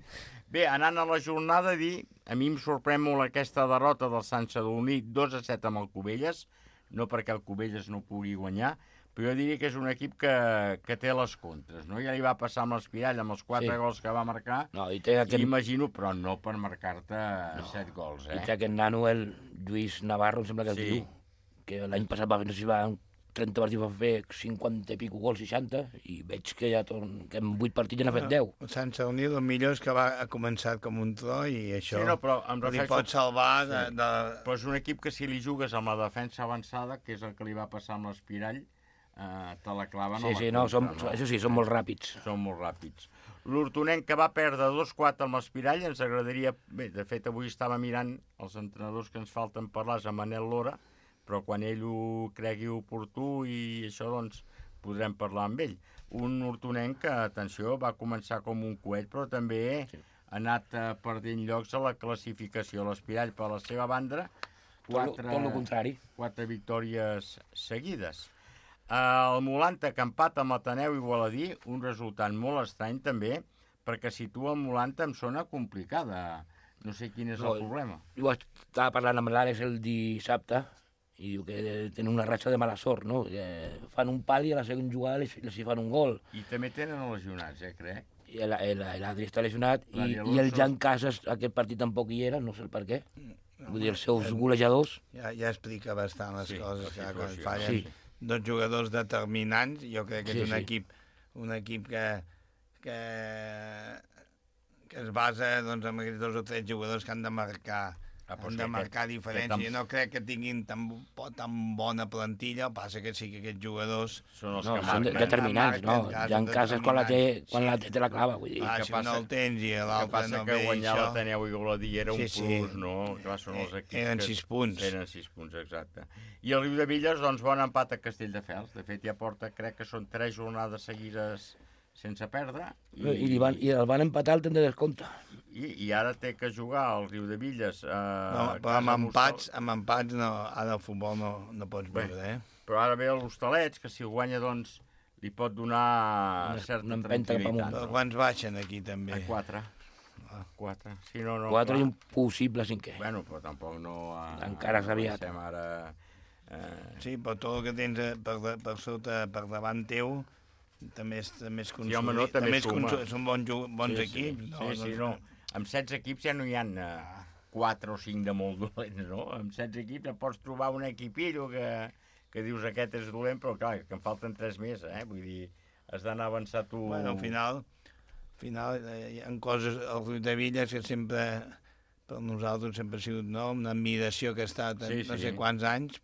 Bé, anant a la jornada, a mi em sorprèn molt aquesta derrota del Sant Sadurní 2-7 amb el Cubelles, no perquè el Cubelles no pugui guanyar, però jo diria que és un equip que té les contres, no? Ja li va passar amb l'Espirall, amb els 4 gols que va marcar, imagino, però no per marcar-te 7 gols, eh? I té aquest nano, el Lluís Navarro, em sembla que es diu, que l'any passat va fer, 30 partits va fer 50 i pico gols, 60, i veig que ja que en 8 partits ja n'ha fet 10. El Sant Sadurní, el millor és que ha començat com un tro i això li pot salvar. Però és un equip que si li jugues amb la defensa avançada, que és el que li va passar amb l'Espirall, te la claven a la contra. Això sí, són molt ràpids. Són molt ràpids. L'Hortonenc, que va perdre 2-4 amb l'Espirall, ens agradaria... Bé, de fet, avui estava mirant els entrenadors que ens falten parlar, a Manel Lora, però quan ell ho cregui oportú i això, doncs, podrem parlar amb ell. Un Hortonenc que, atenció, va començar com un coet, però també ha anat perdent llocs a la classificació. L'Espirall, per la seva banda, 4 victòries seguides. El Molanta, que empata amb l'Ateneu Igualadí, un resultat molt estrany també, perquè situa el Molanta en zona complicada. No sé quin és el problema. Jo estava parlant amb l'Àlex el dissabte i diu que tenen una ratxa de mala sort, no? Que fan un pal i a la segona jugada els fan un gol. I també tenen lesionats, crec. I l'Adri està lesionat i el Jan Casas aquest partit tampoc hi era, no sé el per què. Vull dir, els seus golejadors... Ja explica bastant les coses, quan fallen 2 jugadors determinants. Jo crec que és un equip que es basa en aquests 2 o 3 jugadors que han de marcar diferència. No crec que tinguin tan bona plantilla, passa que sí que aquests jugadors són determinants, no? Ja en casa quan la té te la clava, vull dir. Si no el tens i l'altre no ve, que guanyar l'Ateneu Igualadí era un plus, no? Clar, són els equips eren 6 punts. Eren 6 punts, exacte. I el Riudevilles, doncs, bon empat a Castelldefels. De fet, ja porta, crec que són 3 jornades seguides sense perdre. I el van empatar al temps de descompte. I ara té que jugar al Riudevilles. Però amb empats, ara el futbol no pots veure, Però ara ve l'Hostalets, que si ho guanya, doncs, li pot donar certa tranquil·litat. Però quants baixen aquí, també? A 4. 4. Si no, 4 i un possible 5è. Bueno, però tampoc no... Encara és aviat. Ara... Sí, però tot el que tens per sota, per davant teu, també és consolidat. Sí, home, no, també suma. Són bons equips. No. Amb 16 equips ja no hi ha 4 o 5 de molt dolents, no? Amb 16 equips pots trobar un equipillo que dius aquest és dolent, però clar, que en falten 3 més, Vull dir, has d'anar avançar tu... Bueno, al final hi ha coses, el Riudevilles, que sempre, per nosaltres, sempre ha sigut una admiració que ha estat no sé quants anys.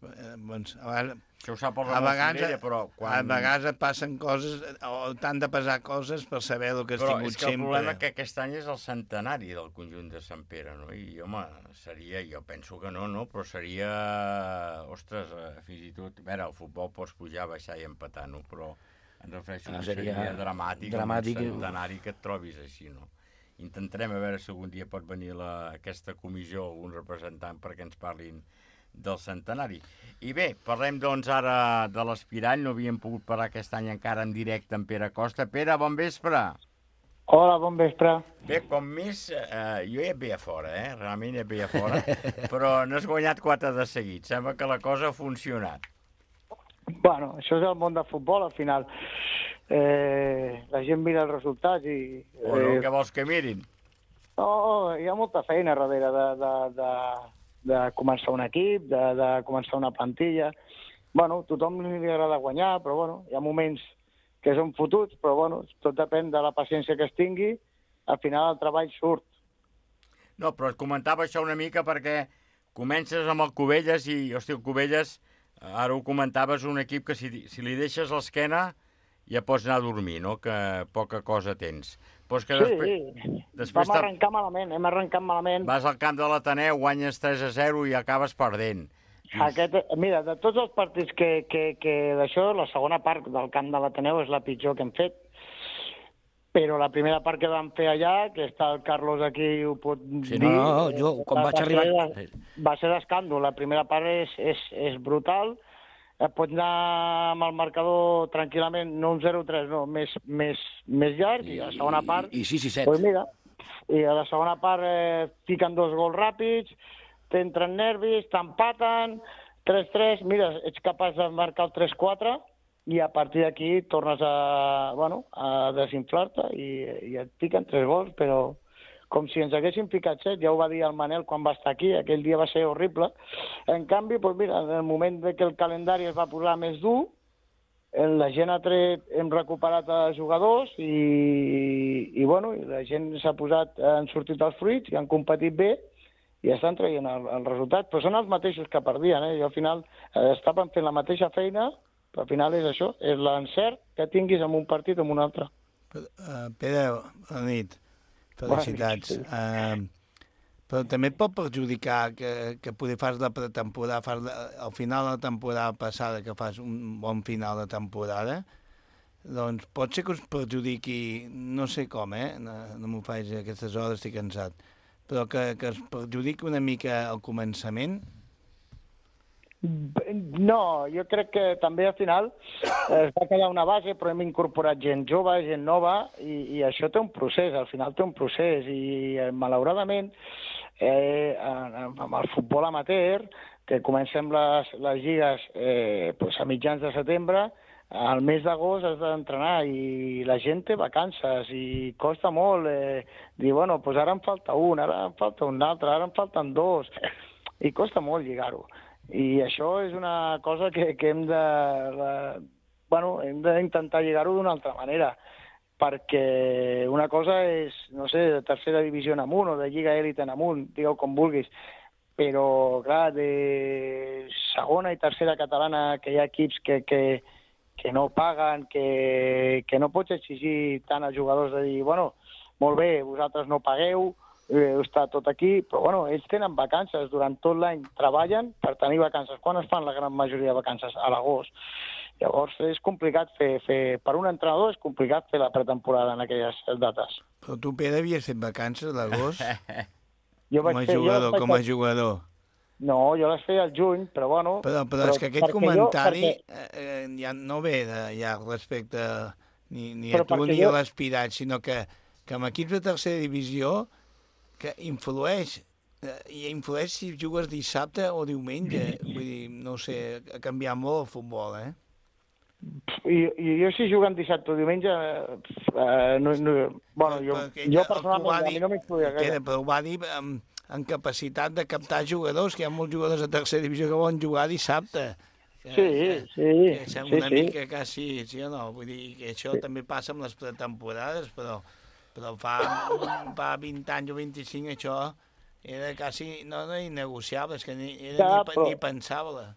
Això ho sap el Ramon Cirella, però... A vegades et passen coses, o t'han de passar coses per saber el que has tingut sempre. Però és que el problema que aquest any és el centenari del conjunt de Sant Pere, no? I, home, seria, jo penso que no, però seria... Ostres, fins i tot... A veure, el futbol pots pujar, baixar i empatar, no? Però em refereixo que seria dramàtic un centenari que et trobis així, no? Intentarem a veure si algun dia pot venir aquesta comissió, algun representant, perquè ens parlin del centenari. I bé, parlem doncs ara de l'aspirant. No havíem pogut parlar aquest any encara en directe amb Pere Costa. Pere, bon vespre. Hola, bon vespre. Bé, com més, jo ja et veia fora, realment ja et veia fora, però no has guanyat 4 de seguit. Sembla que la cosa ha funcionat. Bueno, això és el món del futbol, al final. La gent mira els resultats i... Bueno, què vols que mirin? No, hi ha molta feina darrere de començar un equip, de començar una plantilla. Bueno, tothom li agrada guanyar, però bueno, hi ha moments que són fotuts, però bueno, tot depèn de la paciència que es tingui. Al final el treball surt. No, però et comentava això una mica perquè comences amb el Cubelles i, hòstia, el Cubelles, ara ho comentaves, un equip que si li deixes l'esquena ja pots anar a dormir, no? Que poca cosa tens. Però és que després vam arrencar malament, hem arrencat malament. Vas al camp de l'Ateneu, guanyes 3-0 i acabes perdent. Mira, de tots els partits que d'això, la segona part del camp de l'Ateneu és la pitjor que hem fet. Però la primera part que vam fer allà, que està el Carlos aquí, ho pot dir... Sí, no, jo, quan vaig arribar... Va ser d'escàndol. La primera part és brutal. Pots anar amb el marcador tranquil·lament, no un 0-3, no, més llarg, i a la segona part... I 6-7. Pues mira, i a la segona part fiquen 2 gols ràpids, t'entren nervis, t'empaten, 3-3, mira, ets capaç de marcar el 3-4, i a partir d'aquí tornes a desinflar-te i et piquen 3 gols, però com si ens haguessin picat 7, ja ho va dir el Manel quan va estar aquí, aquell dia va ser horrible. En canvi, doncs mira, en el moment que el calendari es va posar més dur, la gent hem recuperat els jugadors i bueno, la gent han sortit els fruits i han competit bé i estan traient el resultat, però són els mateixos que perdien, I al final estaven fent la mateixa feina, però al final és això, és l'encert que tinguis en un partit o en un altre. Pere, bona nit. Felicitats. Però també et pot perjudicar que poder fas la pretemporada, al final de la temporada passada, que fas un bon final de temporada, doncs pot ser que us perjudiqui, no sé com, no m'ho faig a aquestes hores, estic cansat, però que es perjudiqui una mica al començament? No, jo crec que també al final es va quedar una base, però hem incorporat gent jove, gent nova, i això té un procés, al final té un procés, i malauradament amb el futbol amateur, que comencem les lligues a mitjans de setembre, al mes d'agost has d'entrenar i la gent té vacances i costa molt dir, bueno, doncs ara em falta un, ara em falta un altre, ara em falten 2, i costa molt lligar-ho. I això és una cosa que hem d'intentar lligar-ho d'una altra manera, perquè una cosa és, no sé, de tercera divisió en amunt o de lliga èlite en amunt, digueu com vulguis, però, clar, de segona i tercera catalana que hi ha equips que no paguen, que no pots exigir tant als jugadors de dir, bueno, molt bé, vosaltres no pagueu, està tot aquí, però bueno, ells tenen vacances, durant tot l'any treballen per tenir vacances. Quan es fan la gran majoria de vacances? A l'agost. Llavors és complicat per un entrenador és complicat fer la pretemporada en aquelles dates. Però tu, Pere, havies fet vacances a l'agost? Com a jugador. No, jo les feia al juny, però bueno... Però és que aquest comentari ja no ve ja respecte ni a tu ni a l'aspirat, sinó que amb equips de tercera divisió que influeix si jugues dissabte o diumenge. Vull dir, no sé, ha canviat molt el futbol, I jo si juguen dissabte o diumenge, jo personalment a mi no m'influïa gaire. Però ho va dir amb capacitat de captar jugadors, que hi ha molts jugadors de tercera divisió que volen jugar dissabte. Sí. Una mica quasi, sí o no? Vull dir que això també passa amb les pretemporades, però fa 20 anys o 25 això era quasi, no innegociable, és que ni pensava-la.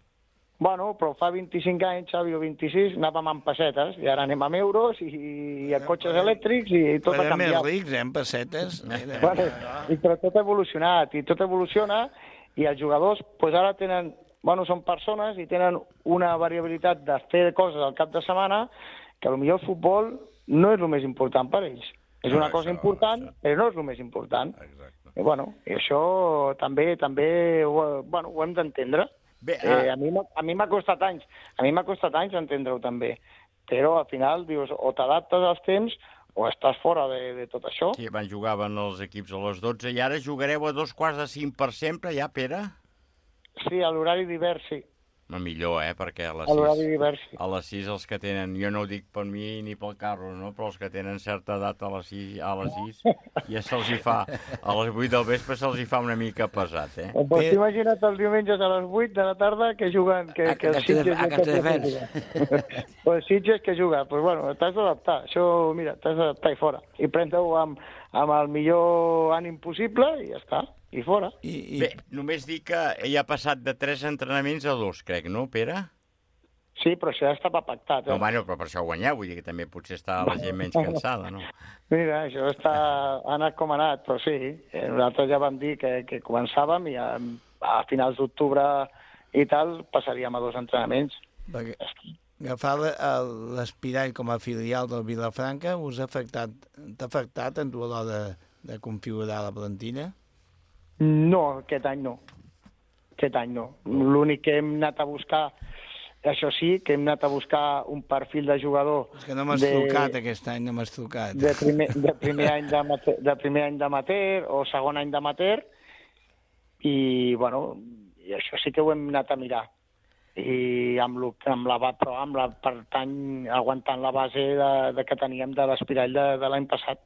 Bueno, però fa 25 anys, Xavi, o 26, anàvem amb pessetes, i ara anem amb euros i a cotxes elèctrics i tot ha canviat. Més rics, amb pessetes. Però tot ha evolucionat, i tot evoluciona, i els jugadors ara tenen, són persones i tenen una variabilitat de fer coses al cap de setmana que potser el futbol no és el més important per ells. És una cosa important, però no és el més important. I això també ho hem d'entendre. Bé, A mi m'ha costat anys. A mi m'ha costat anys entendre-ho també. Però al final dius, o t'adaptes als temps o estàs fora de tot això. Sí, abans jugaven els equips a les 12 i ara jugareu a 2:45 per sempre, ja, Pere? Sí, a l'horari d'hivern, sí. Millor, perquè a les A l'horari 6... d'hivern, sí. A les 6 els que tenen, jo no ho dic per mi ni pel carro, no? Però els que tenen certa edat a les 6 ja se'ls hi fa, a les 8 del vespre se'ls hi fa una mica pesat, Pues imagina't els diumenges a les 8 de la tarda que juguen... Que els Sitges... A Castelldefels. Pues Sitges que juguen, pues bueno, t'has d'adaptar. Això, mira, t'has d'adaptar i fora. I prendre-ho amb el millor ànim possible i ja està, i fora. Bé, només dic que ell ha passat de 3 entrenaments a 2, crec, no, Pere? Sí, però això ja estava pactat. No, bueno, però per això guanyeu, vull dir que també potser està la gent menys cansada, no? Mira, això ha anat com ha anat, però sí, nosaltres ja vam dir que començàvem i a finals d'octubre i tal passaríem a 2 entrenaments. Perquè agafar l'Espirall com a filial del Vilafranca t'ha afectat en tu a l'hora de configurar la plantilla? No, aquest any no. L'únic que hem anat a buscar, això sí, que hem anat a buscar un perfil de jugador... És que no m'has trucat aquest any, no m'has trucat. De primer any d'amateur o segon any d'amateur i, bueno, i això sí que ho hem anat a mirar. I per tant, aguantant la base que teníem de l'Espirall de l'any passat.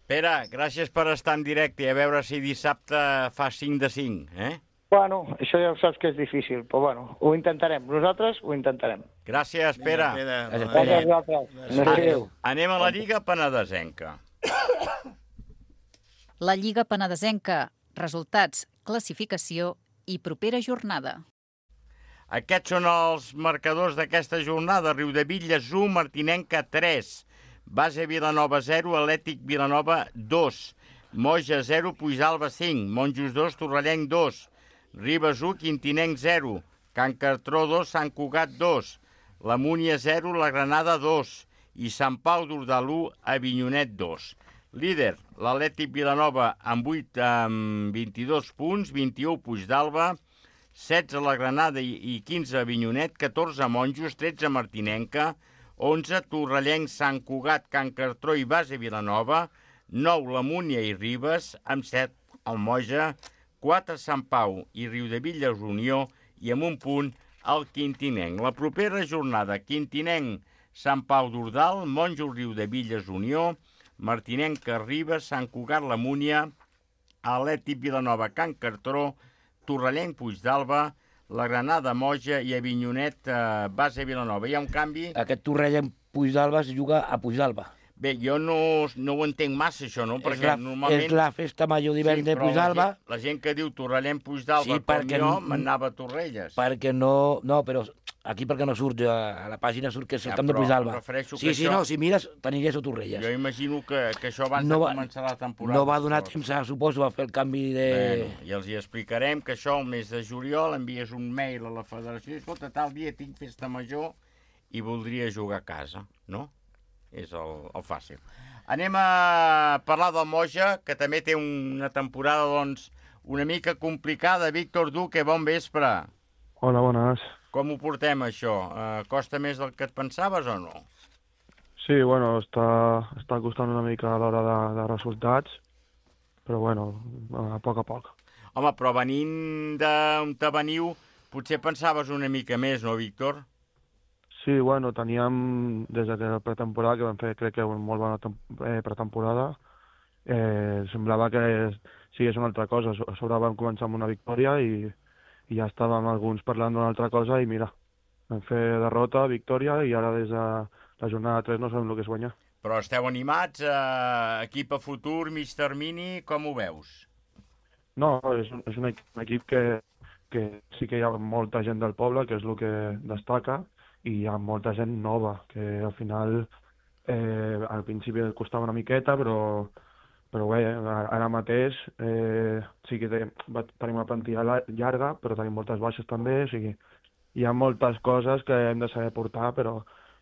Pere, gràcies per estar en directe i a veure si dissabte fa 5 de 5, Bueno, això ja ho saps que és difícil, però bueno, ho intentarem. Nosaltres ho intentarem. Gràcies, Pere. Gràcies a vosaltres. Anem a la Lliga Penedesenca. La Lliga Penedesenca. Resultats, classificació i propera jornada. Aquests són els marcadors d'aquesta jornada. Riudebitlles 1, Martinenca 3, Base Vilanova 0, Atlètic Vilanova 2, Moja 0, Puigdàlber 5, Monjos 2, Torrellenc 2, Ribes 1, Quintinenc 0, Can Cartró 2, Sant Cugat 2, la Múnia 0, la Granada 2 i Sant Pau d'Ordal 1, Avinyonet 2. Líder, l'Atlètic Vilanova amb 22 punts, 21 Puigdàlber, 16 la Granada i 15 Avinyonet, 14 Monjos, 13 Martinenca, 11 Torrellenc, Sant Cugat, Can Cartró i Base Vilanova, 9 la Múnia i Ribes, amb 7 el Moja, 4 Sant Pau i Riudebitlles Unió i amb un punt el Quintinenc. La propera jornada, Quintinenc, Sant Pau d'Ordal, Monjos, Riudebitlles Unió, Martinenca, Ribes, Sant Cugat, la Múnia, Atlètic Vilanova, Can Cartró, Torrellenc, Puigdàlber, la Granada, Moja i Avinyonet, Base Vilanova. Hi ha un canvi? Aquest Torrellenc Puigdàlber es juga a Puigdàlber. Bé, jo no ho entenc massa, això, no? Perquè normalment... És la festa major d'hivern de Puigdàlber. La gent que diu Torrellenc Puigdàlber, com jo, m'anava a Torrelles. Perquè no... No, però aquí perquè no surt, a la pàgina surt que és el camp de Puigdàlber. Sí, no, si mires, t'aniràs a Torrelles. Jo imagino que això abans de començar la temporada... No va donar temps, suposo, a fer el canvi de... I els hi explicarem que això, el mes de juliol, envies un mail a la federació i escolta, tal dia tinc festa major i voldria jugar a casa, no? És el fàcil. Anem a parlar del Moja, que també té una temporada, doncs, una mica complicada. Víctor Duque, bon vespre. Hola, bones. Com ho portem, això? Costa més del que et pensaves o no? Sí, bueno, està costant una mica a l'hora de resultats, però bueno, a poc a poc. Home, però venint d'on te veniu, potser pensaves una mica més, no, Víctor? Sí, bueno, teníem des de la pretemporada, que vam fer, crec que una molt bona pretemporada, semblava que sigués una altra cosa. A sobre vam començar amb una victòria i ja estàvem alguns parlant d'una altra cosa i mira, vam fer derrota, victòria i ara des de la jornada 3 no sabem el que és guanyar. Però esteu animats? Equip a futur, mig termini, com ho veus? No, és un equip que sí que hi ha molta gent del poble, que és el que destaca, i hi ha molta gent nova, que al final al principi costava una miqueta, però bé, ara mateix sí que tenim una plantilla llarga, però tenim moltes baixes també, o sigui, hi ha moltes coses que hem de saber portar, però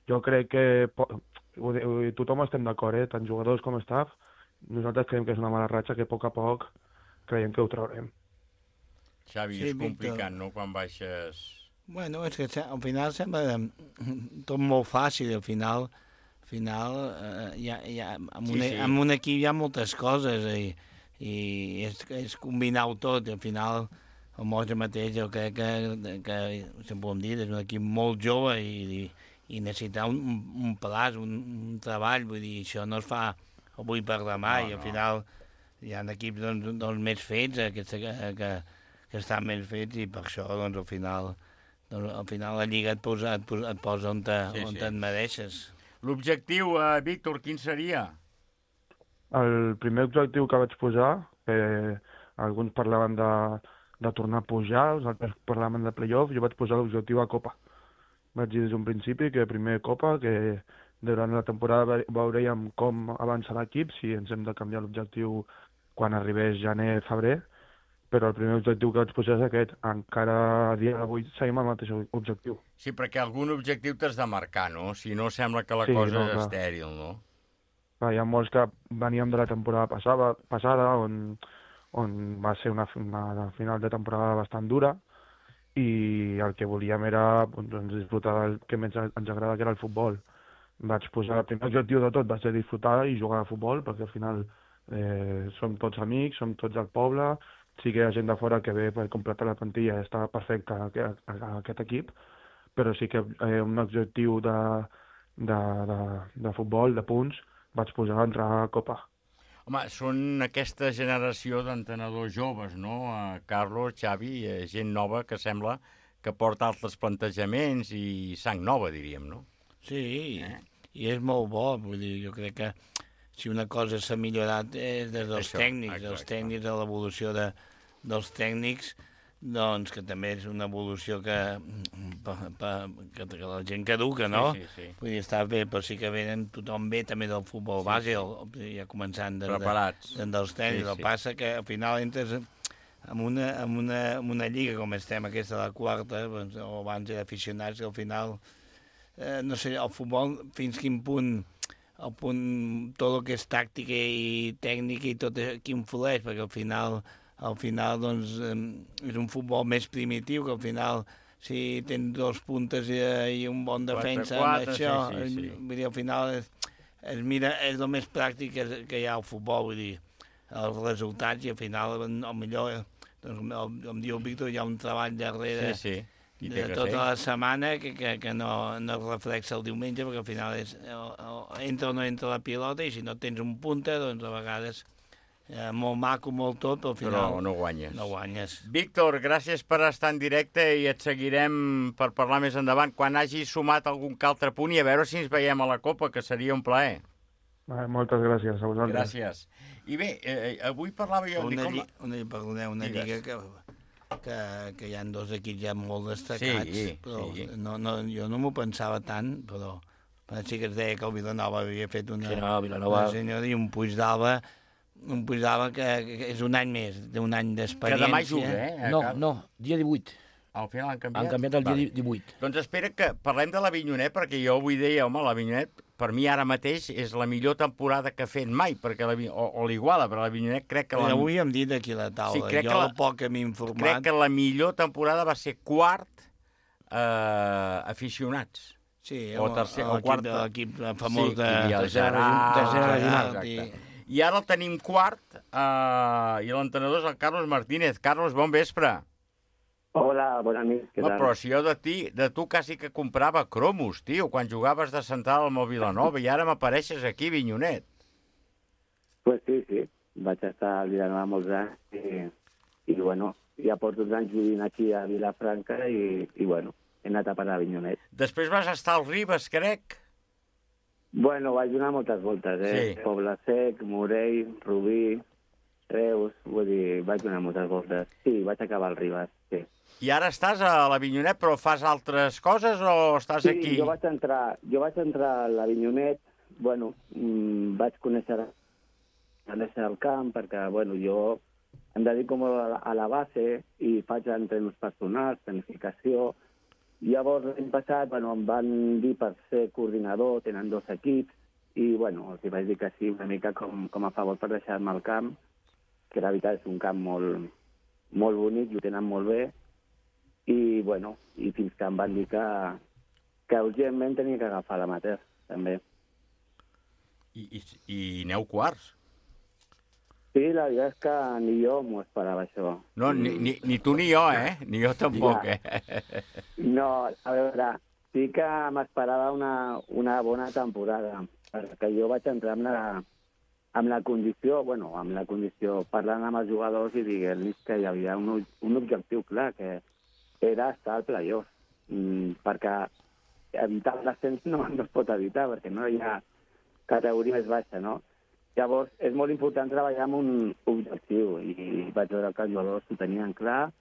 jo crec que tothom estem d'acord, tant jugadors com staff, nosaltres creiem que és una mala ratxa que a poc creiem que ho traurem. Xavi, Sí, és Víctor. complicat, no?, quan baixes... Bueno, és que al final sembla tot molt fàcil, al final amb un equip hi ha moltes coses i és combinar-ho tot, i al final el Moja mateix jo crec que sempre ho hem dit, és un equip molt jove i necessita un plaç, un treball, vull dir, això no es fa avui per demà, i al final hi ha equips doncs més fets que estan més fets, i per això doncs al final la Lliga et posa on et mereixes. L'objectiu, Víctor, quin seria? El primer objectiu que vaig posar, alguns parlaven de tornar a pujar, els altres parlaven de play-off, jo vaig posar l'objectiu a Copa. Vaig dir des d'un principi que primer Copa, que durant la temporada veurem com avança l'equip, si ens hem de canviar l'objectiu quan arribés gener, febrer, però el primer objectiu que vaig posar és aquest. Encara a dia d'avui seguim el mateix objectiu. Sí, perquè algun objectiu t'has de marcar, no? Si no, sembla que la cosa és estèril, no? Hi ha molts que veníem de la temporada passada on va ser una final de temporada bastant dura, i el que volíem era disfrutar del que més ens agrada, que era el futbol. Vaig posar el primer objectiu de tot, va ser disfrutar i jugar a futbol, perquè al final som tots amics, som tots del poble, sí que hi ha gent de fora que ve per completar la plantilla, està perfecte aquest equip, però sí que un objectiu de futbol, de punts, vaig posar a entrar a Copa. Home, són aquesta generació d'entrenadors joves, no? Carlos, Xavi, gent nova que sembla que porta altres plantejaments i sang nova, diríem, no? Sí, i és molt bo, vull dir, jo crec que si una cosa s'ha millorat és des dels tècnics, de l'evolució dels tècnics, doncs que també és una evolució que la gent caduca, no? Sí. Vull dir, està bé, però sí que tothom ve també del futbol base, ja començant preparats dels tècnics. El que passa que al final entres en una lliga com estem, aquesta de la quarta, o abans era aficionats, que al final, no sé, el futbol fins quin punt tot el que és tàctica i tècnica i tot aquí influeix, perquè al final doncs, és un futbol més primitiu, que al final si tens dos puntes i un bon defensa, 4, això, sí. vull dir, al final es mira, és el més pràctic que hi ha al futbol, vull dir, els resultats, i al final, millor, doncs, com diu el Víctor, hi ha un treball darrere de tota la setmana que no es reflexa el diumenge, perquè al final entra o no entra la pilota, i si no tens un punta, doncs a vegades molt maco, molt tot, però al final però no guanyes. Víctor, gràcies per estar en directe, i et seguirem per parlar més endavant quan hagis sumat algun altre punt, i a veure si ens veiem a la Copa, que seria un plaer. Moltes gràcies a vosaltres. Gràcies. I bé, avui parlava jo... Una lliga que hi ha dos equips ja molt destacats, però jo no m'ho pensava tant, però sí que es deia que el Vilanova havia fet una senyora, i un Puigdàlber que és un any més, d'un any d'experiència. Que demà juga, No, dia 18. Al final han canviat? Han canviat el dia 18. Doncs espera que parlem de l'Avinyonet, perquè jo avui deia, home, l'Avinyonet, per mi ara mateix és la millor temporada que ha fet mai, perquè o l'Iguala, però l'Avinyonet crec que... Avui hem dit aquí a la taula, jo el poc que m'he informat... Crec que la millor temporada va ser quart aficionats. Sí, o tercer, o quart. L'equip famós de Gerard. I ara el tenim quart, i l'entrenador és el Carlos Martínez. Carlos, bon vespre. Hola, bona nit, què tal? Però si jo de tu quasi que comprava cromos, tio, quan jugaves de central amb el Vilanova, i ara m'apareixes aquí, Vinyonet. Pues sí, vaig estar al Vilanova molts anys, i bueno, ja porto 2 anys vivint aquí a Vilafranca, i bueno, he anat a parar a Vinyonet. Després vas estar al Ribes, crec? Bueno, vaig donar moltes voltes, Sí. Poble Sec, Morell, Rubí, Reus, vull dir, vaig donar moltes voltes. Sí, vaig acabar al Ribes, sí. I ara estàs a l'Avinyonet, però fas altres coses o estàs aquí? Sí, jo vaig entrar a l'Avinyonet, bueno, vaig conèixer el camp, perquè, bueno, jo em dedico molt a la base i faig entrenos personals, planificació. Llavors, l'any passat, bueno, em van dir per ser coordinador, tenen 2 equips, i, bueno, els vaig dir que sí, una mica com a favor per deixar-me el camp, que la veritat és un camp molt bonic i ho tenen molt bé. I, bueno, i fins que em van dir que urgentment tenia que agafar l'amateur, també. I aneu quarts? Sí, la veritat és que ni jo m'ho esperava, això. No, ni tu ni jo, eh? Ni jo tampoc, No, a veure, sí que m'esperava una bona temporada, perquè jo vaig entrar amb la condició, parlant amb els jugadors i dient-los que hi havia un objectiu clar, que era estar al playoff, perquè evitar l'ascens no es pot evitar, perquè no hi ha categoria més baixa, no? Llavors, és molt important treballar amb un objectiu, i vaig veure que els jugadors ho tenien clar,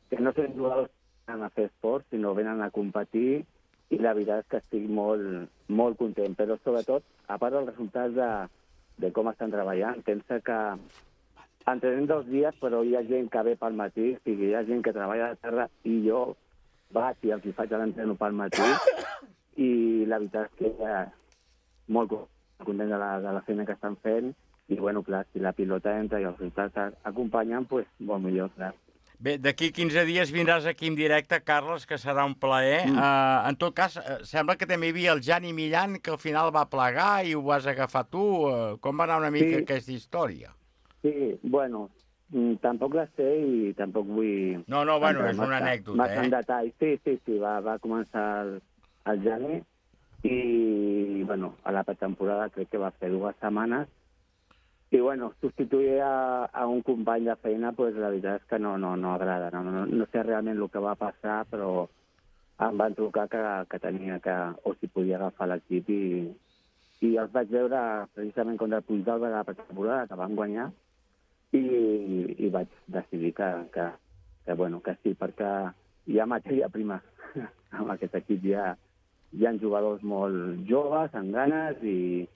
que no són jugadors que venen a fer esport, sinó venen a competir, i la veritat és que estic molt, molt content. Però, sobretot, a part dels resultats de com estan treballant, pensa que entrenem 2 dies, però hi ha gent que ve pel matí, o sigui, hi ha gent que treballa a la terra, i jo vaig i els faig l'entreno pel matí, i la veritat és que molt content de la feina que estan fent, i, bueno, clar, si la pilota entra i els resultats acompanyen, doncs, molt millor, clar. Bé, d'aquí 15 dies vindràs aquí en directe, Carles, que serà un plaer. En tot cas, sembla que també hi havia el Jani Millan, que al final va plegar i ho vas agafar tu. Com va anar una mica aquesta història? Sí, bueno, tampoc la sé i tampoc vull... No, bueno, és una anècdota, massa en detall. Sí, va començar el Jani, i, bueno, a la pretemporada crec que va fer 2 setmanes, i, bueno, substituir a un company de feina, pues, la veritat és que no agrada. No sé realment el que va passar, però em van trucar que tenia que, o si podia agafar l'equip, i els vaig veure precisament contra el Puigdàlber de la pretemporada, que van guanyar, i vaig decidir que sí, perquè hi ha matèria prima. Amb aquest equip hi ha jugadors molt joves, amb ganes, i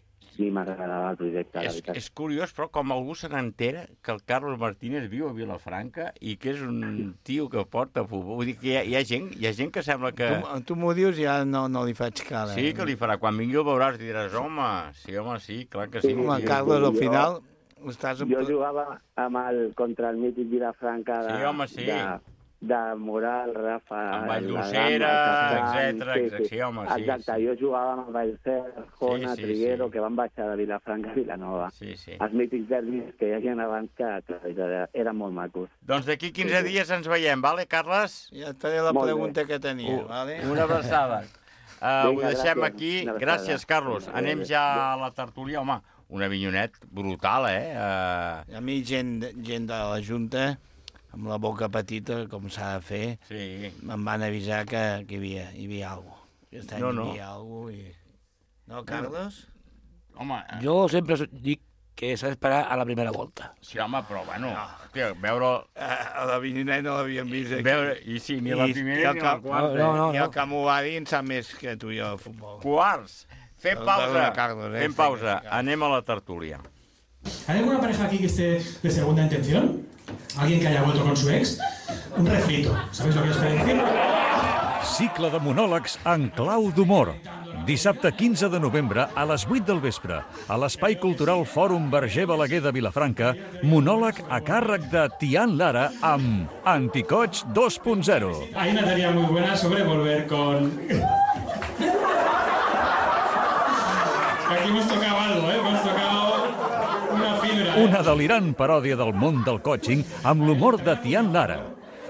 m'agradava el projecte, la veritat. És curiós, però, com algú se n'entera que el Carlos Martínez viu a Vilafranca i que és un tio que porta futbol. Vull dir que hi ha gent que sembla que... Tu m'ho dius, ja no li faig cara. Sí, que li farà. Quan vingui el veuràs i diràs, home, sí, clar que sí. Home, Carlos, al final... Jo jugava contra el mític Vilafranca de Moral, Rafa... Amb Valldosera, etcètera. Sí, home, sí. Exacte, jo jugava amb Vallcer, Jona, Triguero, que van baixar de Vilafranca a Vilanova. Sí. Els mítics derbis que hi havia abans que eren molt macos. Doncs d'aquí 15 dies ens veiem, vale, Carles? Ja et faré la pregunta que tenia, vale? Una abraçada. Ho deixem aquí. Gràcies, Carlos. Anem ja a la tertúlia. Home, un avinyonet brutal, A mi gent de la Junta, amb la boca petita, com s'ha de fer, me'n van avisar que hi havia alguna cosa. Aquest any hi havia alguna cosa. No, Carles? Home... Jo sempre dic que s'ha d'esperar a la primera volta. Sí, home, però, bueno, veure... A l'Avinyonet no l'havíem vist aquí. I sí, ni la primera ni la quarta. I el que m'ho va dir en sap més que tu i jo de futbol. Quarts! Fem pausa. Anem a la tertúlia. ¿Hay alguna pareja aquí que esté de segunda intención? ¿Alguien que haya vuelto con su ex? Un refrito. ¿Sabéis lo que os quiero decir? Cicle de monòlegs en clau d'humor. Dissabte 15 de novembre a les 8 del vespre, a l'Espai Cultural Fòrum Verger Balaguer de Vilafranca, monòleg a càrrec de Tian Lara amb Anticoig 2.0. Hay una teoría muy buena sobre volver con... Aquí hemos tocado algo, hemos tocado una fibra. Una delirant paròdia del món del coaching amb l'humor de Tian Lara.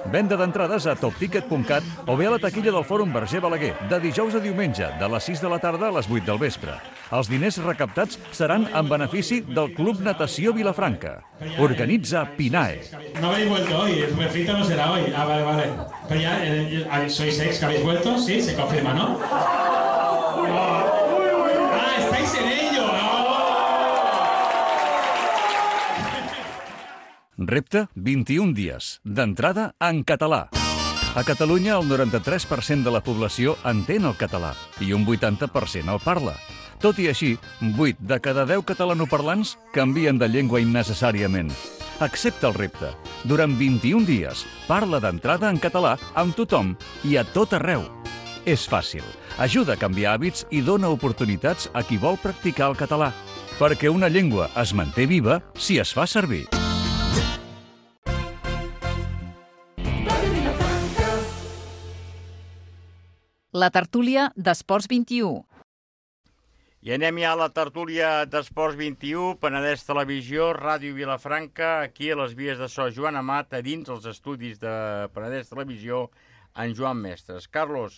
Venda d'entrades a topticket.cat o bé a la taquilla del Fòrum Verger Balaguer, de dijous a diumenge, de les 6 de la tarda a les 8 del vespre. Els diners recaptats seran en benefici del Club Natació Vilafranca. Organitza PINAE. No habéis vuelto hoy, el refrito no será hoy. Ah, vale. Pero ya, ¿sois ex que habéis vuelto? Sí, se confirma, ¿no? ¡Estáis en ello! Repte, 21 dies. D'entrada, en català. A Catalunya, el 93% de la població entén el català i un 80% el parla. Tot i així, 8 de cada 10 catalanoparlants canvien de llengua innecessàriament. Accepta el repte. Durant 21 dies, parla d'entrada en català amb tothom i a tot arreu. És fàcil. Ajuda a canviar hàbits i dona oportunitats a qui vol practicar el català. Perquè una llengua es manté viva si es fa servir. La tertúlia d'Esports 21. I anem ja a la tertúlia d'Esports 21, Penedès Televisió, Ràdio Vilafranca, aquí a les vies de so Joan Amat, a dins els estudis de Penedès Televisió, en Joan Mestres. Carlos,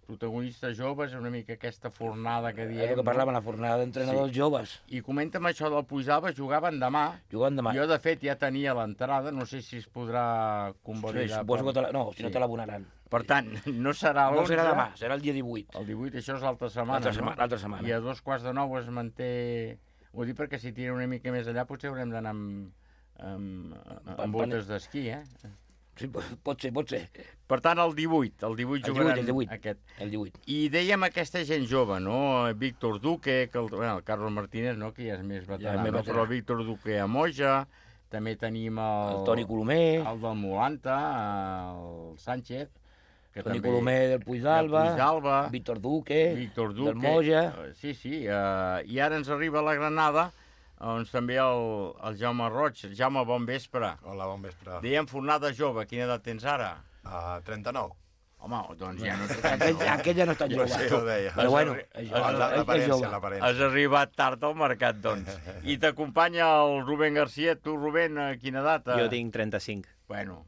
protagonistes joves, una mica aquesta fornada que diem. És el que parlàvem, la fornada d'entrenadors joves. I comenta'm això del Puisalba, jugaven demà. Jugaven demà. Jo, de fet, ja tenia l'entrada, no sé si es podrà convalidar. Sí, suposo que no, si no te l'abonaran. Per tant, no serà l'11. No serà demà, serà el dia 18. El 18, això és l'altra setmana, no? L'altra setmana. I a 8:45 es manté... Ho dic perquè si tira una mica més allà potser haurem d'anar amb botes d'esquí, Sí, pot ser. Per tant, el 18 jugaran aquest. El 18. I dèiem aquesta gent jove, no? Víctor Duque, el Carlos Martínez, no? Que ja és més veterà, però Víctor Duque a Moja, també tenim el Toni Colomer, el del Molanta, el Sánchez, Toni Colomer del Puisalba, Víctor Duque, del Moja. Sí, i ara ens arriba a la Granada, doncs també el Jaume Roig. Jaume, bon vespre. Hola, bon vespre. Dèiem fornada jove, quina edat tens ara? 39. Home, doncs ja no... Aquell ja no està jove. Sí, ho deia. Però bueno, l'aparència. Has arribat tard al mercat, doncs. I t'acompanya el Rubén García. Tu, Rubén, quina edat? Jo tinc 35. Bueno.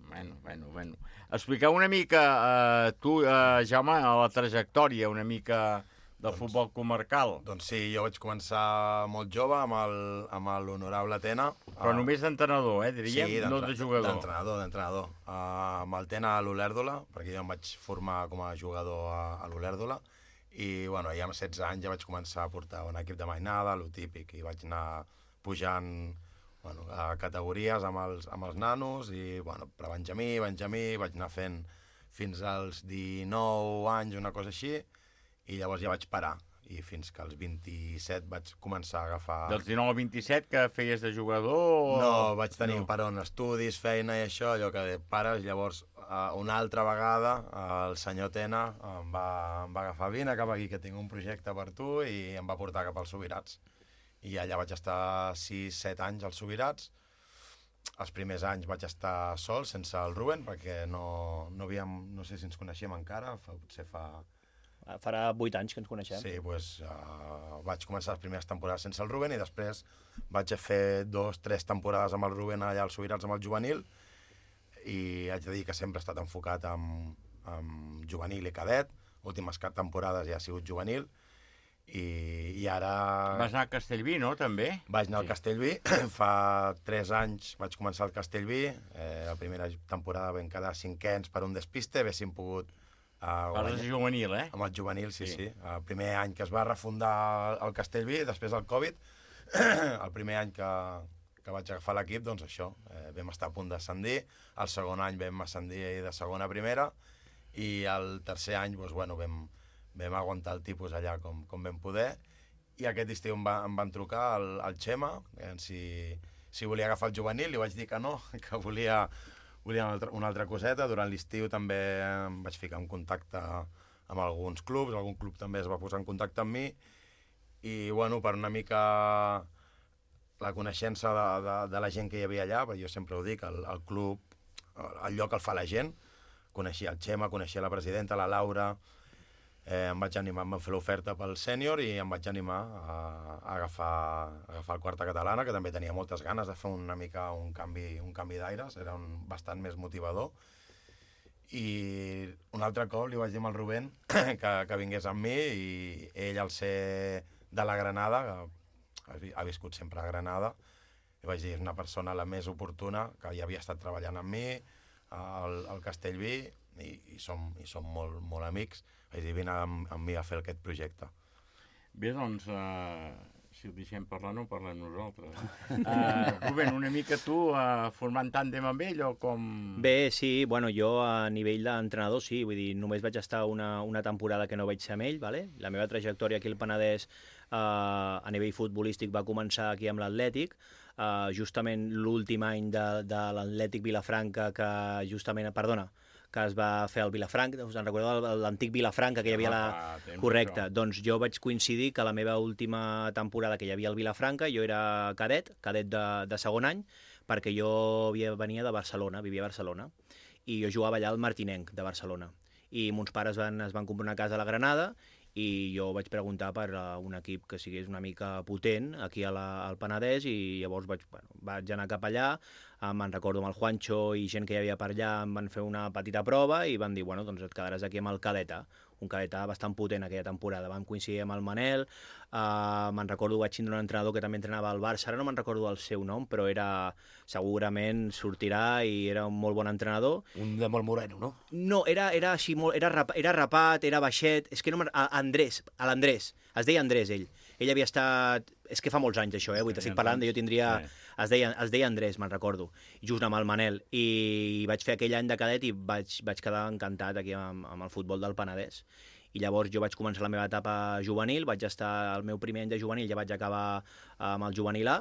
Expliqueu una mica, tu, Jaume, la trajectòria una mica del futbol comarcal. Doncs sí, jo vaig començar molt jove amb l'honorable Tena. Però només d'entrenador, diríem, sí, no de jugador. D'entrenador. Amb el Tena a l'Olèrdola, perquè jo em vaig formar com a jugador a l'Olèrdola, i bueno, ja amb 16 anys ja vaig començar a portar un equip de mainada, lo típic, i vaig anar pujant a categories amb els nanos, i prebenjamí, vaig anar fent fins als 19 anys, una cosa així, i llavors ja vaig parar, i fins que als 27 vaig començar a agafar... Dels 19 al 27 que feies de jugador? No, vaig tenir un paró en estudis, feina i això, allò que pares, llavors una altra vegada el senyor Tena em va agafar, vine cap aquí que tinc un projecte per tu, i em va portar cap als Subirats. I allà vaig estar 6-7 anys als Subirats. Els primers anys vaig estar sol, sense el Rubén, perquè no sé si ens coneixíem encara, potser Farà 8 anys que ens coneixem. Sí, doncs vaig començar les primeres temporades sense el Rubén i després vaig fer 2-3 temporades amb el Rubén allà als Subirats amb el juvenil, i haig de dir que sempre he estat enfocat amb juvenil i cadet. Últimes temporades ja ha sigut juvenil, i ara... Vas anar a Castellví, no, també? Vaig anar al Castellví. Fa 3 anys vaig començar al Castellví. La primera temporada vam quedar 5ens per un despiste, haguéssim pogut... Parles de juvenil, Amb el juvenil, sí. El primer any que es va refundar el Castellví, després del Covid, el primer any que vaig agafar l'equip, doncs això, vam estar a punt d'ascendir, el segon any vam ascendir de segona a primera, i el tercer any vam aguantar el tipus allà com vam poder, i aquest estiu em van trucar al Xema, si volia agafar el juvenil, li vaig dir que no, que volia una altra coseta. Durant l'estiu també em vaig ficar en contacte amb alguns clubs, algun club també es va posar en contacte amb mi, i per una mica la coneixença de la gent que hi havia allà, perquè jo sempre ho dic, el club, el lloc el fa la gent. Coneixia el Xema, coneixia la presidenta, la Laura, em vaig animar, em van fer l'oferta pel sènior i em vaig animar a agafar el quarta catalana, que també tenia moltes ganes de fer una mica un canvi d'aires, era bastant més motivador. I un altre cop li vaig dir al Rubén que vingués amb mi, i ell, al ser de la Granada, que ha viscut sempre a Granada, li vaig dir, és una persona la més oportuna, que ja havia estat treballant amb mi al Castellví, i som molt, molt amics. Vaig dir, vine amb mi a fer aquest projecte. Bé, doncs, si ho deixem parlar, no parlem nosaltres. Rubén, una mica tu formant tàndem amb ell o com...? Bé, sí, jo a nivell d'entrenador sí, vull dir, només vaig estar una temporada que no vaig ser amb ell, ¿vale? La meva trajectòria aquí al Penedès a nivell futbolístic va començar aquí amb l'Atlètic, justament l'últim any de l'Atlètic Vilafranca que es va fer al Vilafranca, us en recordeu l'antic Vilafranca que hi havia correcte, doncs jo vaig coincidir que la meva última temporada que hi havia al Vilafranca jo era cadet de segon any, perquè jo venia de Barcelona, vivia a Barcelona, i jo jugava allà al Martinenc de Barcelona. i mons pares es van comprar una casa a la Granada i jo vaig preguntar per un equip que sigués una mica potent aquí al Penedès i llavors vaig anar cap allà, me'n recordo amb el Juancho i gent que hi havia per allà em van fer una petita prova i van dir, bueno, doncs et quedaràs aquí amb el Cadeta, un Cadeta bastant potent aquella temporada. Vam coincidir amb el Manel, me'n recordo, vaig tindre un entrenador que també entrenava al Barça, ara no me'n recordo el seu nom, però segurament sortirà i era un molt bon entrenador. Un de molt moreno, no? No, era així, era rapat, era baixet, és que no l'Andrés, es deia Andrés ell. Ell havia estat... És que fa molts anys això, vull t'estic parlant de jo tindria... Es deia Andrés, me'n recordo, just amb el Manel, i vaig fer aquell any de cadet i vaig quedar encantat aquí amb el futbol del Penedès. I llavors jo vaig començar la meva etapa juvenil, vaig estar el meu primer any de juvenil, ja vaig acabar amb el juvenil A,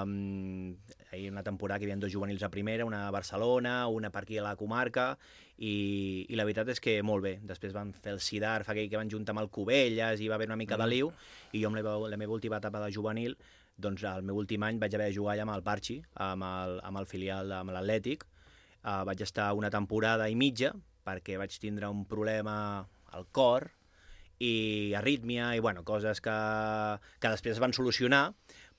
una temporada que hi havia 2 juvenils a primera, una a Barcelona, una per aquí a la comarca, i la veritat és que molt bé. Després van fer el Sidarf, aquell que van juntar amb el Cubelles, i va haver una mica de liu, i jo amb la meva última etapa de juvenil, doncs el meu últim any vaig haver de jugar allà amb el Parchi, amb el filial, amb l'Atlètic. Vaig estar una temporada i mitja, perquè vaig tindre un problema al cor, i arrítmia, i bueno, coses que després es van solucionar,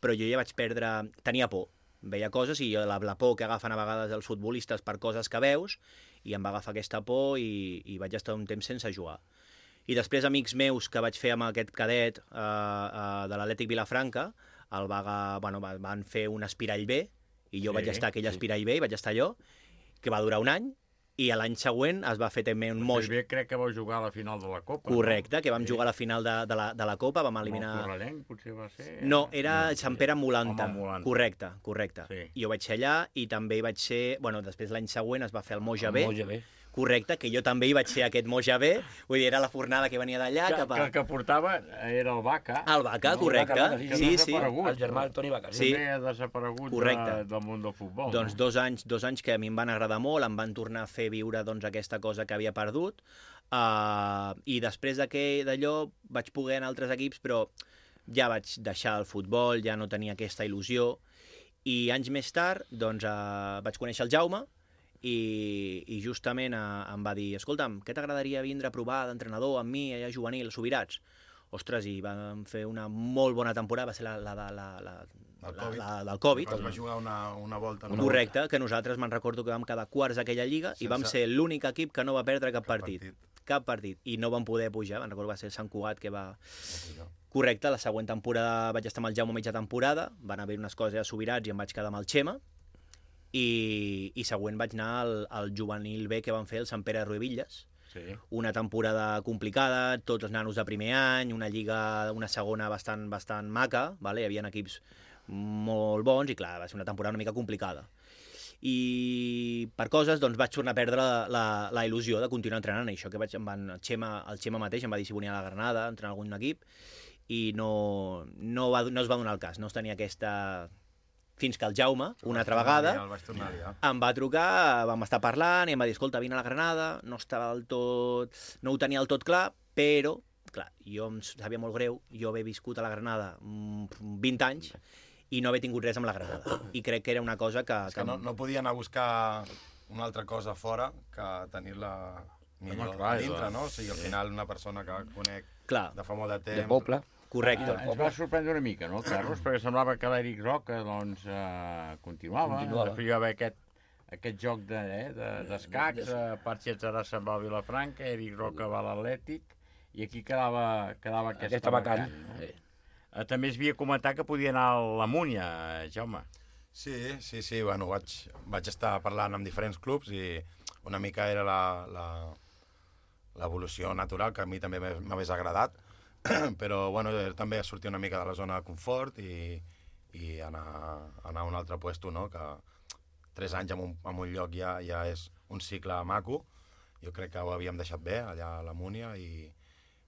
però jo ja vaig perdre... Tenia por. Veia coses i la por que agafen a vegades els futbolistes per coses que veus, i em va agafar aquesta por i vaig estar un temps sense jugar. I després amics meus que vaig fer amb aquest cadet de l'Atlètic Vilafranca, van fer un Espirall B, i jo vaig estar aquell Espirall B, i vaig estar allò, que va durar un any, i l'any següent es va fer també un moix... Bé, crec que vau jugar a la final de la Copa. Correcte, que vam jugar a la final de la Copa, vam eliminar... El Correllenc, potser va ser... No, era Sant Pere Molanta. Correcte. Sí. Jo vaig ser allà i també hi vaig ser... Bueno, després l'any següent es va fer el Moja B. Correcte, que jo també hi vaig ser aquest Moja B, vull dir, era la fornada que venia d'allà cap a... Que el que portava era el Vaca. El Vaca, correcte. Sí. El germà del Toni Vaca. Sí. També ha desaparegut del món del futbol. Doncs 2 anys que a mi em van agradar molt, em van tornar a fer viure aquesta cosa que havia perdut, i després d'allò vaig poder anar a altres equips, però ja vaig deixar el futbol, ja no tenia aquesta il·lusió, i anys més tard doncs, vaig conèixer el Jaume, i justament em va dir, escolta'm, què t'agradaria vindre a provar d'entrenador amb mi allà juvenil, Subirats? Ostres, i vam fer una molt bona temporada, va ser la del Covid. Es va jugar una volta. Correcte, que nosaltres me'n recordo que vam quedar quarts d'aquella lliga i vam ser l'únic equip que no va perdre cap partit. Cap partit. I no vam poder pujar, me'n recordo que va ser Sant Cugat que va... Correcte, la següent temporada vaig estar amb el Jaume mitja temporada, van haver unes coses a Subirats i em vaig quedar amb el Xema, i següent vaig anar al juvenil B que van fer el Sant Pere de Ruevilles. Sí. Una temporada complicada, tots els nanos de primer any, una lliga, una segona bastant maca, vale? Hi havia equips molt bons i clar, va ser una temporada una mica complicada. I per coses doncs vaig tornar a perdre la il·lusió de continuar entrenant, això que el Xema mateix em va dir si volia a la Granada, entrenar algun equip, i no es va donar el cas, no es tenia aquesta... Fins que el Jaume, una altra vegada, em va trucar, vam estar parlant i em va dir, escolta, vine a la Granada, no ho tenia del tot clar, però, clar, jo em sabia molt greu, jo havia viscut a la Granada 20 anys i no havia tingut res amb la Granada. I crec que era una cosa que... És que no podia anar a buscar una altra cosa fora que tenir-la millor dintre, no? O sigui, al final una persona que conec de fa molt de temps... De poble. Correcte. Ens va sorprendre una mica, no, Carlos? Perquè semblava que l'Eric Roca doncs, continuava. Després hi va haver aquest joc d'escacs, Parchi se'n va a Vilafranca, Eric Roca va a l'Atlètic, i aquí quedava aquesta vacant. No? També es havia comentat que podia anar a la Múnia, Jaume. Sí, bueno, vaig estar parlant amb diferents clubs i una mica era l'evolució natural, que a mi també m'hagués agradat, però bueno, també sortir una mica de la zona de confort i anar a un altre puesto, no? Que 3 anys en un lloc ja és un cicle maco. Jo crec que ho havíem deixat bé allà a la Múnia,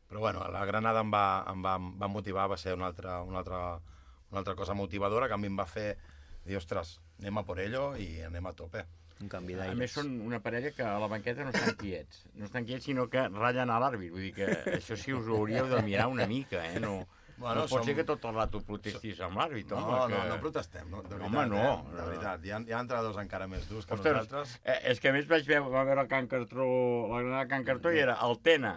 però bueno, la Granada em va motivar, va ser una altra cosa motivadora que a mi em va fer dir, ostres, anem a por ello i anem a tope. Un canvi d'aires. A més, són una parella que a la banqueta no estan quiets, sinó que ratllen a l'àrbit. Vull dir que això sí us ho hauríeu de mirar una mica, no No pot ser que tot el rato protestis amb l'àrbitre. No protestem, de veritat. De veritat, hi ha entrenadors encara més durs que nosaltres. És que a més vaig veure Can Cartró, la Granada Can Cartró, i era el Tena,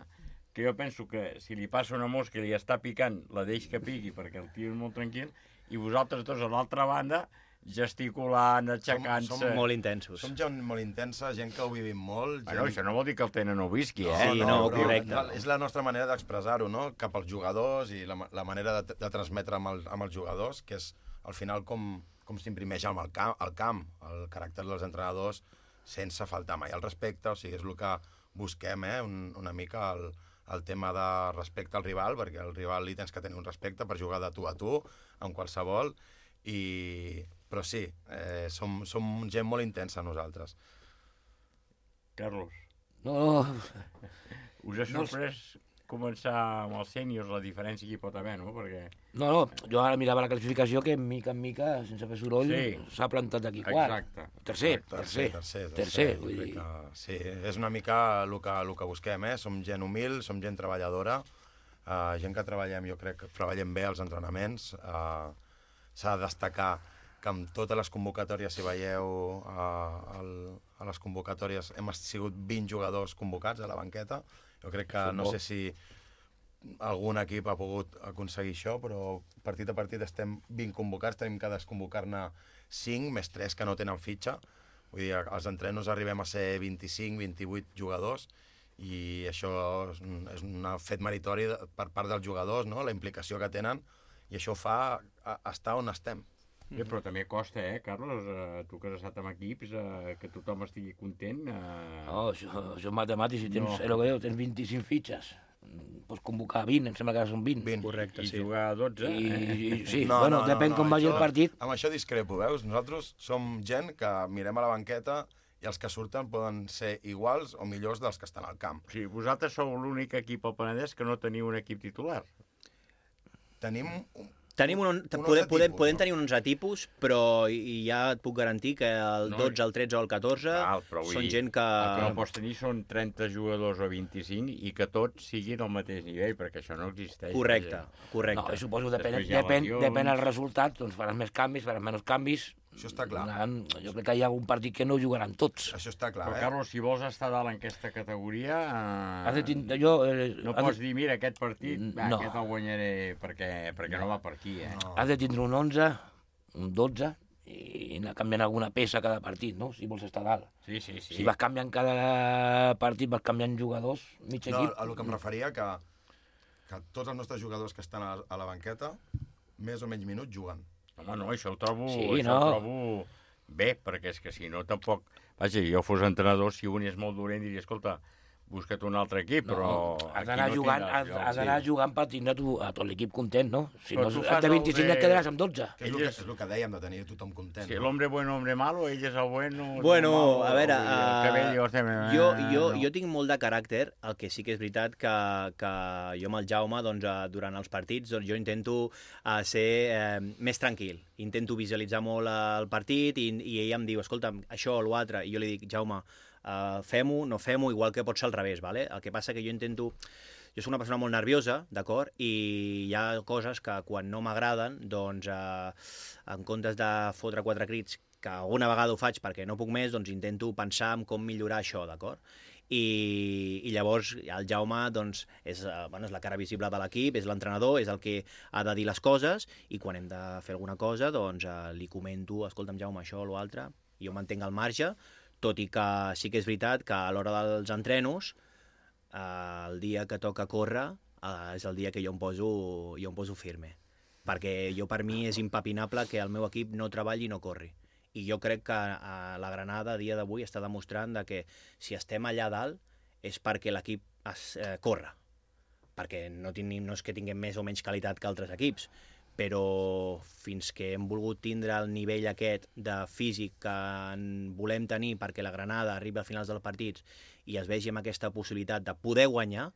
que jo penso que si li passa una mosca i li està picant, la deix que piqui perquè el tio és molt tranquil, i vosaltres dos a l'altra banda gesticulant, aixecant-se... Som molt intensos. Som gent molt intensa, gent que ho vivim molt. Bueno, això no vol dir que el Tena no ho visqui, Sí, correcte. És la nostra manera d'expressar-ho, no?, cap als jugadors i la manera de transmetre amb els jugadors, que és al final com s'imprimeix al camp, el caràcter dels entrenadors, sense faltar mai el respecte, o sigui, és el que busquem, una mica el tema de respecte al rival, perquè al rival li tens que tenir un respecte per jugar de tu a tu, amb qualsevol, però sí, som gent molt intensa nosaltres. Carlos. No. Us ha sorprès començar amb els sèniors, la diferència que hi pot haver, no? Perquè... No, jo ara mirava la classificació que mica en mica, sense fer soroll, s'ha plantat aquí quart. Tercer. Vull dir... Sí, és una mica el que busquem, Som gent humil, som gent treballadora, gent que treballem, jo crec que treballem bé als entrenaments. S'ha de destacar que amb totes les convocatòries, si veieu a les convocatòries, hem sigut 20 jugadors convocats a la banqueta. Jo crec que no sé si algun equip ha pogut aconseguir això, però partit a partit estem 20 convocats, tenim que desconvocar-ne 5, més 3 que no tenen fitxa. Vull dir, als entrenos arribem a ser 25, 28 jugadors, i això és un fet meritori per part dels jugadors, no?, la implicació que tenen, i això fa estar on estem. Bé, però també costa, Carlos, tu que has estat amb equips, que tothom estigui content. No, això és matemàtic, si tens 25 fitxes, pots convocar 20, em sembla que són 20. Correcte, sí. I jugar 12. Sí, bueno, depèn com vagi el partit. Amb això discrepo, veus? Nosaltres som gent que mirem a la banqueta i els que surten poden ser iguals o millors dels que estan al camp. Sí, vosaltres sou l'únic equip al Penedès que no teniu un equip titular. Podem tenir un 11 tipus, però ja et puc garantir que el 12, el 13 o el 14 són gent que... El que no pots tenir són 30 jugadors o 25 i que tots siguin al mateix nivell, perquè això no existeix. Correcte. No, suposo que depèn del resultat, doncs faràs més canvis, faràs menys canvis. Això està clar. Jo crec que hi ha algun partit que no jugaran tots. Això està clar, Però, Carlos, si vols estar dalt en aquesta categoria, no pots dir, mira, aquest partit, aquest el guanyaré perquè no va per aquí, Has de tindre un 11, un 12, i anar canviant alguna peça cada partit, no?, si vols estar dalt. Sí. Si vas canviant cada partit, vas canviant jugadors, mig equip... No, a lo que em referia, que tots els nostres jugadors que estan a la banqueta, més o menys minuts juguen. Home, no, això ho trobo bé, perquè és que si no tampoc... Vaja, jo fos entrenador, si un és molt dolent, diria, escolta, busca't un altre equip, però... Has d'anar jugant per tindre a tot l'equip content, no? Si no, de 25 et quedaràs amb 12. És el que dèiem, de tenir tothom content. Si l'hombre bueno, hombre malo, ell és el bueno... Bueno, a veure, jo tinc molt de caràcter, el que sí que és veritat que jo amb el Jaume, durant els partits, jo intento ser més tranquil, intento visualitzar molt el partit i ell em diu, escolta, això o l'altre, i jo li dic, Jaume, fem-ho, no fem-ho, igual que pot ser al revés, ¿vale? El que passa que jo soc una persona molt nerviosa, d'acord? I hi ha coses que quan no m'agraden, doncs en comptes de fotre 4 crits, que alguna vegada ho faig perquè no puc més, doncs intento pensar en com millorar això, d'acord? I llavors el Jaume doncs, és la cara visible de l'equip, és l'entrenador, és el que ha de dir les coses, i quan hem de fer alguna cosa doncs li comento, escolta'm Jaume, això o l'altre, jo mantenc al marge, tot i que sí que és veritat que a l'hora dels entrenos, el dia que toca córrer és el dia que jo em poso firme. Perquè per mi és impepinable que el meu equip no treballi i no corri. I jo crec que la Granada a dia d'avui està demostrant que si estem allà dalt és perquè l'equip corre. Perquè no és que tinguem més o menys qualitat que altres equips, però fins que hem volgut tindre el nivell aquest de físic que volem tenir perquè la Granada arribi als finals dels partits i es vegi amb aquesta possibilitat de poder guanyar,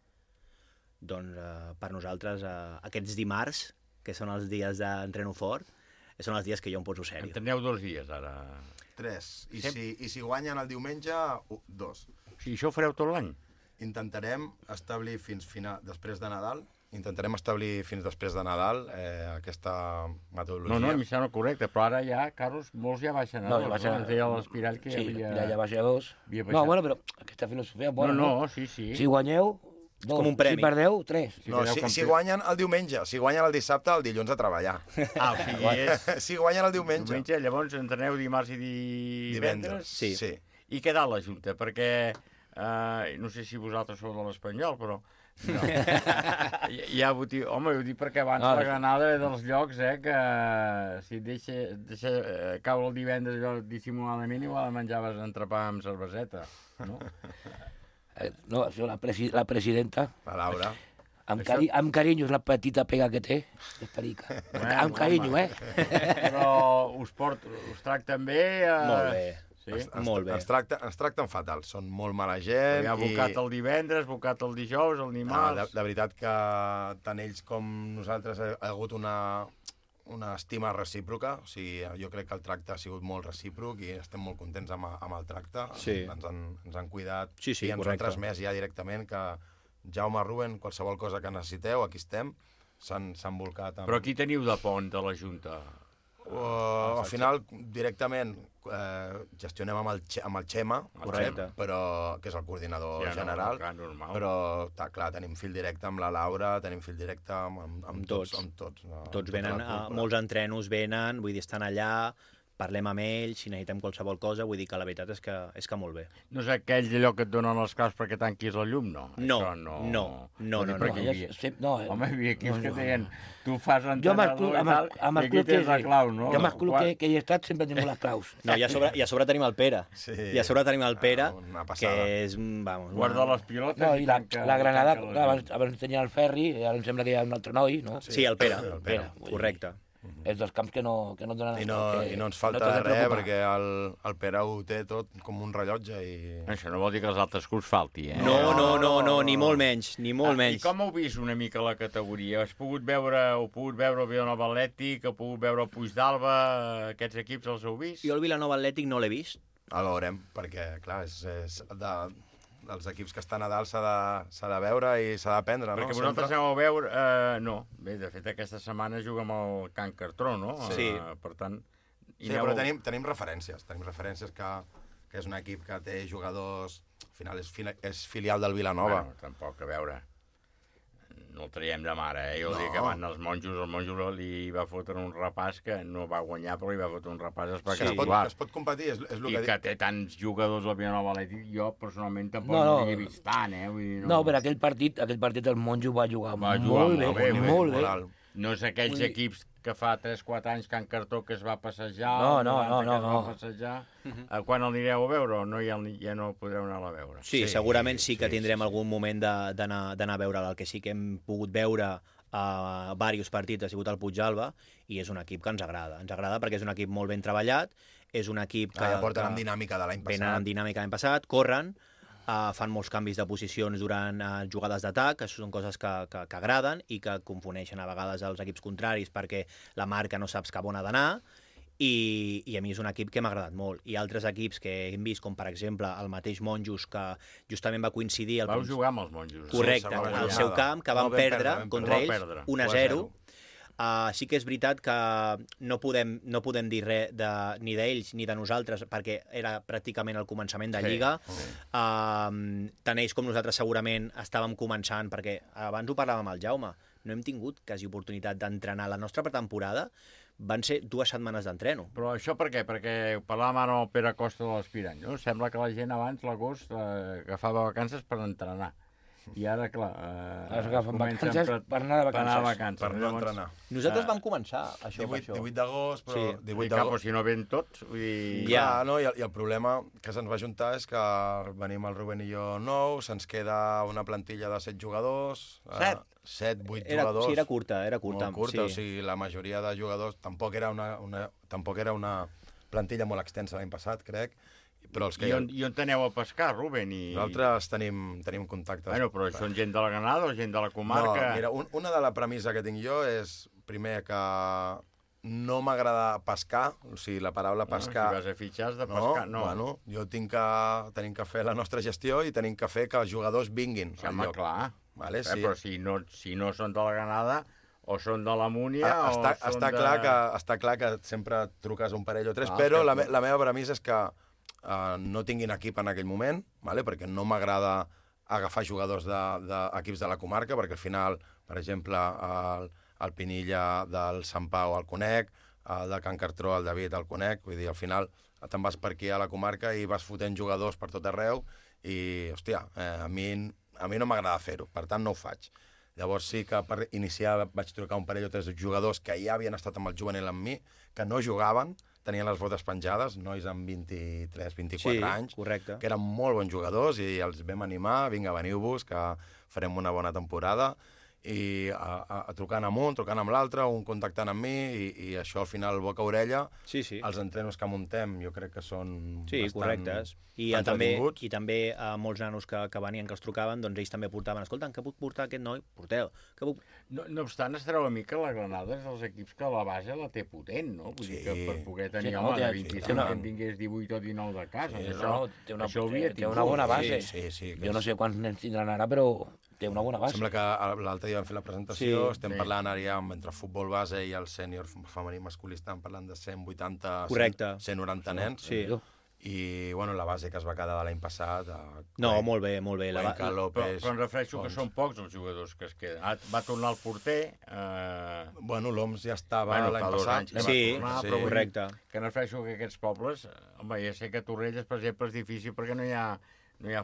doncs per nosaltres aquests dimarts, que són els dies d'entreno fort, són els dies que jo em poso sèrio. En teniu 2 dies, ara. 3. I si guanyen el diumenge, 2. Si això ho fareu tot l'any? Intentarem establir fins després de Nadal intentarem establir fins després de Nadal aquesta metodologia. No, a mi sembla correcte, però ara ja, Carlos, molts ja baixen a 2. No, ja deia l'Espirall que sí, ja baixa a 2. No, bueno, però aquesta filosofia... Bona, no, sí. Si guanyeu, 2. Com un premi. Si perdeu, 3. No, si guanyen el diumenge, si guanyen el dissabte, el dilluns a treballar. O sigui, si guanyen el diumenge. Llavors entreneu dimarts i divendres? Sí. I què tal la Junta? Perquè, no sé si vosaltres sou de l'Espanyol, però... No. Ja ho dic, home, ho dic perquè abans la granada ve dels llocs, que si et deixa caure el divendres dissimuladament, igual menjaves entrepà amb cerveseta, no? No, això, la presidenta... La Laura. Amb carinyo, és la petita pega que té. És perica. Amb carinyo, Però us tracten bé? Molt bé. Sí? Molt bé. Ens tracten fatal, són molt mala gent. Hi ha bocat el divendres, bocat el dijous, el dimarts... De veritat que tant ells com nosaltres ha hagut una estima recíproca. O sigui, jo crec que el tracte ha sigut molt recíproc i estem molt contents amb el tracte. Sí. Ens han cuidat i ens han transmès ja directament que Jaume, Rubén, qualsevol cosa que necessiteu, aquí estem. S'han volcat amb... Però qui teniu de pont de la Junta? Al final, directament, gestionem amb el Xema, però, que és el coordinador general, però, clar, tenim fil directe amb la Laura, tenim fil directe amb tots. Tots venen, molts entrenos venen, vull dir, estan allà, parlem amb ells, si necessitem qualsevol cosa, vull dir que la veritat és que molt bé. No és aquell allò que et donen les claus perquè tanquis la llum, no? No. Home, hi havia equips que deien, tu fas l'entrenador i tal, i aquí tens la clau, no? Jo amb el club que hi he estat sempre tenim les claus. No, i a sobre tenim el Pere. I a sobre tenim el Pere, que és... Guarda les pilotes. No, i la Granada, abans tenia el Ferri, ara em sembla que hi ha un altre noi, no? Sí, el Pere, correcte. És dels camps que no donen... I no ens falta res, perquè el Pere ho té tot com un rellotge i... Això no vol dir que els altres clubs falti, No, ni molt menys, ni molt menys. I com heu vist una mica la categoria? Heu pogut veure el Vilanova Atlètic, heu pogut veure el Puigdàlber, aquests equips els heu vist? Jo el Vilanova Atlètic no l'he vist. El veurem, perquè, clar, és dels equips que estan a dalt s'ha de veure i s'ha d'aprendre, no? Perquè vosaltres aneu a veure... No, bé, de fet, aquesta setmana juga amb el Can Cartró, no? Sí. Per tant... Sí, però tenim referències. Tenim referències que és un equip que té jugadors... Al final és filial del Vilanova. Bueno, tampoc, a veure... No el traiem de mare, Jo dic que van els monjos, el monjo li va fotre un repàs que no va guanyar, però li va fotre un repàs espectacular. Es pot competir, és el que dic. I que té tants jugadors al Vilanova Atlètic, jo personalment tampoc no l'he vist tant, No, però aquell partit el monjo va jugar molt bé. No és aquells equips que fa 3-4 anys que en Cartó que es va passejar... No. Quan el anireu a veure o ja no podreu anar a veure? Sí, segurament sí que tindrem algun moment d'anar a veure. El que sí que hem pogut veure a diversos partits ha sigut el Puigdàlber i és un equip que ens agrada. Ens agrada perquè és un equip molt ben treballat, és un equip que... porten amb dinàmica de l'any passat. Venen amb dinàmica de l'any passat, corren, fan molts canvis de posicions durant jugades d'atac, que són coses que agraden i que confoneixen a vegades els equips contraris perquè la marca no saps cap on ha d'anar, i a mi és un equip que m'ha agradat molt. I altres equips que hem vist, com per exemple el mateix Monjos, que justament va coincidir... Vau jugar amb els Monjos. Correcte, al seu camp, que van perdre contra ells 1-0. Sí que és veritat que no podem dir res ni d'ells ni de nosaltres, perquè era pràcticament el començament de Lliga. Tant ells com nosaltres segurament estàvem començant, perquè abans ho parlàvem amb el Jaume, no hem tingut quasi oportunitat d'entrenar. La nostra pretemporada van ser 2 setmanes d'entreno. Però això per què? Perquè parlàvem ara amb el Pere Costa de l'Aspirant, no? Sembla que la gent abans, l'agost, agafava vacances per entrenar. I ara, clar... Es agafen vacances per anar de vacances. Per no entrenar. Nosaltres vam començar això. 18 d'agost, però... Sí. 18 d'agost, si no ven tots... I el problema que se'ns va juntar és que venim el Rubén i jo nou, se'ns queda una plantilla de 7 jugadors... 7, 8 jugadors... Sí, era curta. Molt curta, o sigui, la majoria de jugadors... Tampoc era una plantilla molt extensa l'any passat, crec. Però els que I on aneu a pescar, Rubén? Nosaltres tenim contactes. Bueno, però són gent de la Granada o gent de la comarca? No, mira, una de la premissa que tinc jo és, primer, que no m'agrada pescar, o sigui, la paraula pescar... Si vas a fitxar has de pescar, no. Bueno, tenim que fer la nostra gestió i tenim que fer que els jugadors vinguin al lloc. Clar. Vale? Sí. Però si no són de la Granada, o són de la Múnia, Està clar que sempre truques un parell o tres, però la meva premissa és que no tinguin equip en aquell moment, vale? Perquè no m'agrada agafar jugadors d'equips de la comarca, perquè al final, per exemple, el Pinilla del Sant Pau el conec, el de Can Cartró, el David el conec, vull dir, al final te'n vas per aquí a la comarca i vas fotent jugadors per tot arreu i, hòstia, a mi no m'agrada fer-ho, per tant no ho faig. Llavors sí que per iniciar vaig trucar un parell o tres jugadors que ja havien estat amb el juvenil amb mi, que no jugaven, tenien les botes penjades, nois amb 23-24 anys, correcte, que eren molt bons jugadors i els vam animar, vinga, veniu-vos, que farem una bona temporada, i trucant amb un, trucant amb l'altre, un contactant amb mi, i això al final boca-orella, els entrenos que muntem jo crec que són bastant correctes. I també molts nanos que venien, que els trucaven, doncs ells també portaven, escolta, què puc portar aquest noi? Porteu. No obstant, es treu a mi que la Granada és dels equips que la base la té potent, no? Vull dir que per poder tenir home de 25 que en tingués 18 o 19 de casa. Té una bona base. Jo no sé quants nens tindran ara, però té una bona base. Sembla que l'altre dia vam fer la presentació, estem parlant ara ja entre futbol base i el sènior femení masculí, estan parlant de 180, 190 nens. I, bueno, la base que es va quedar de l'any passat... No, molt bé. Cuenca, López... Però em refereixo que són pocs els jugadors que es queden. Va tornar el porter... Bueno, l'OMS ja estava l'any passat. Correcte. Que em refereixo que aquests pobles... Home, ja sé que Torrelles, per exemple, és difícil perquè no hi ha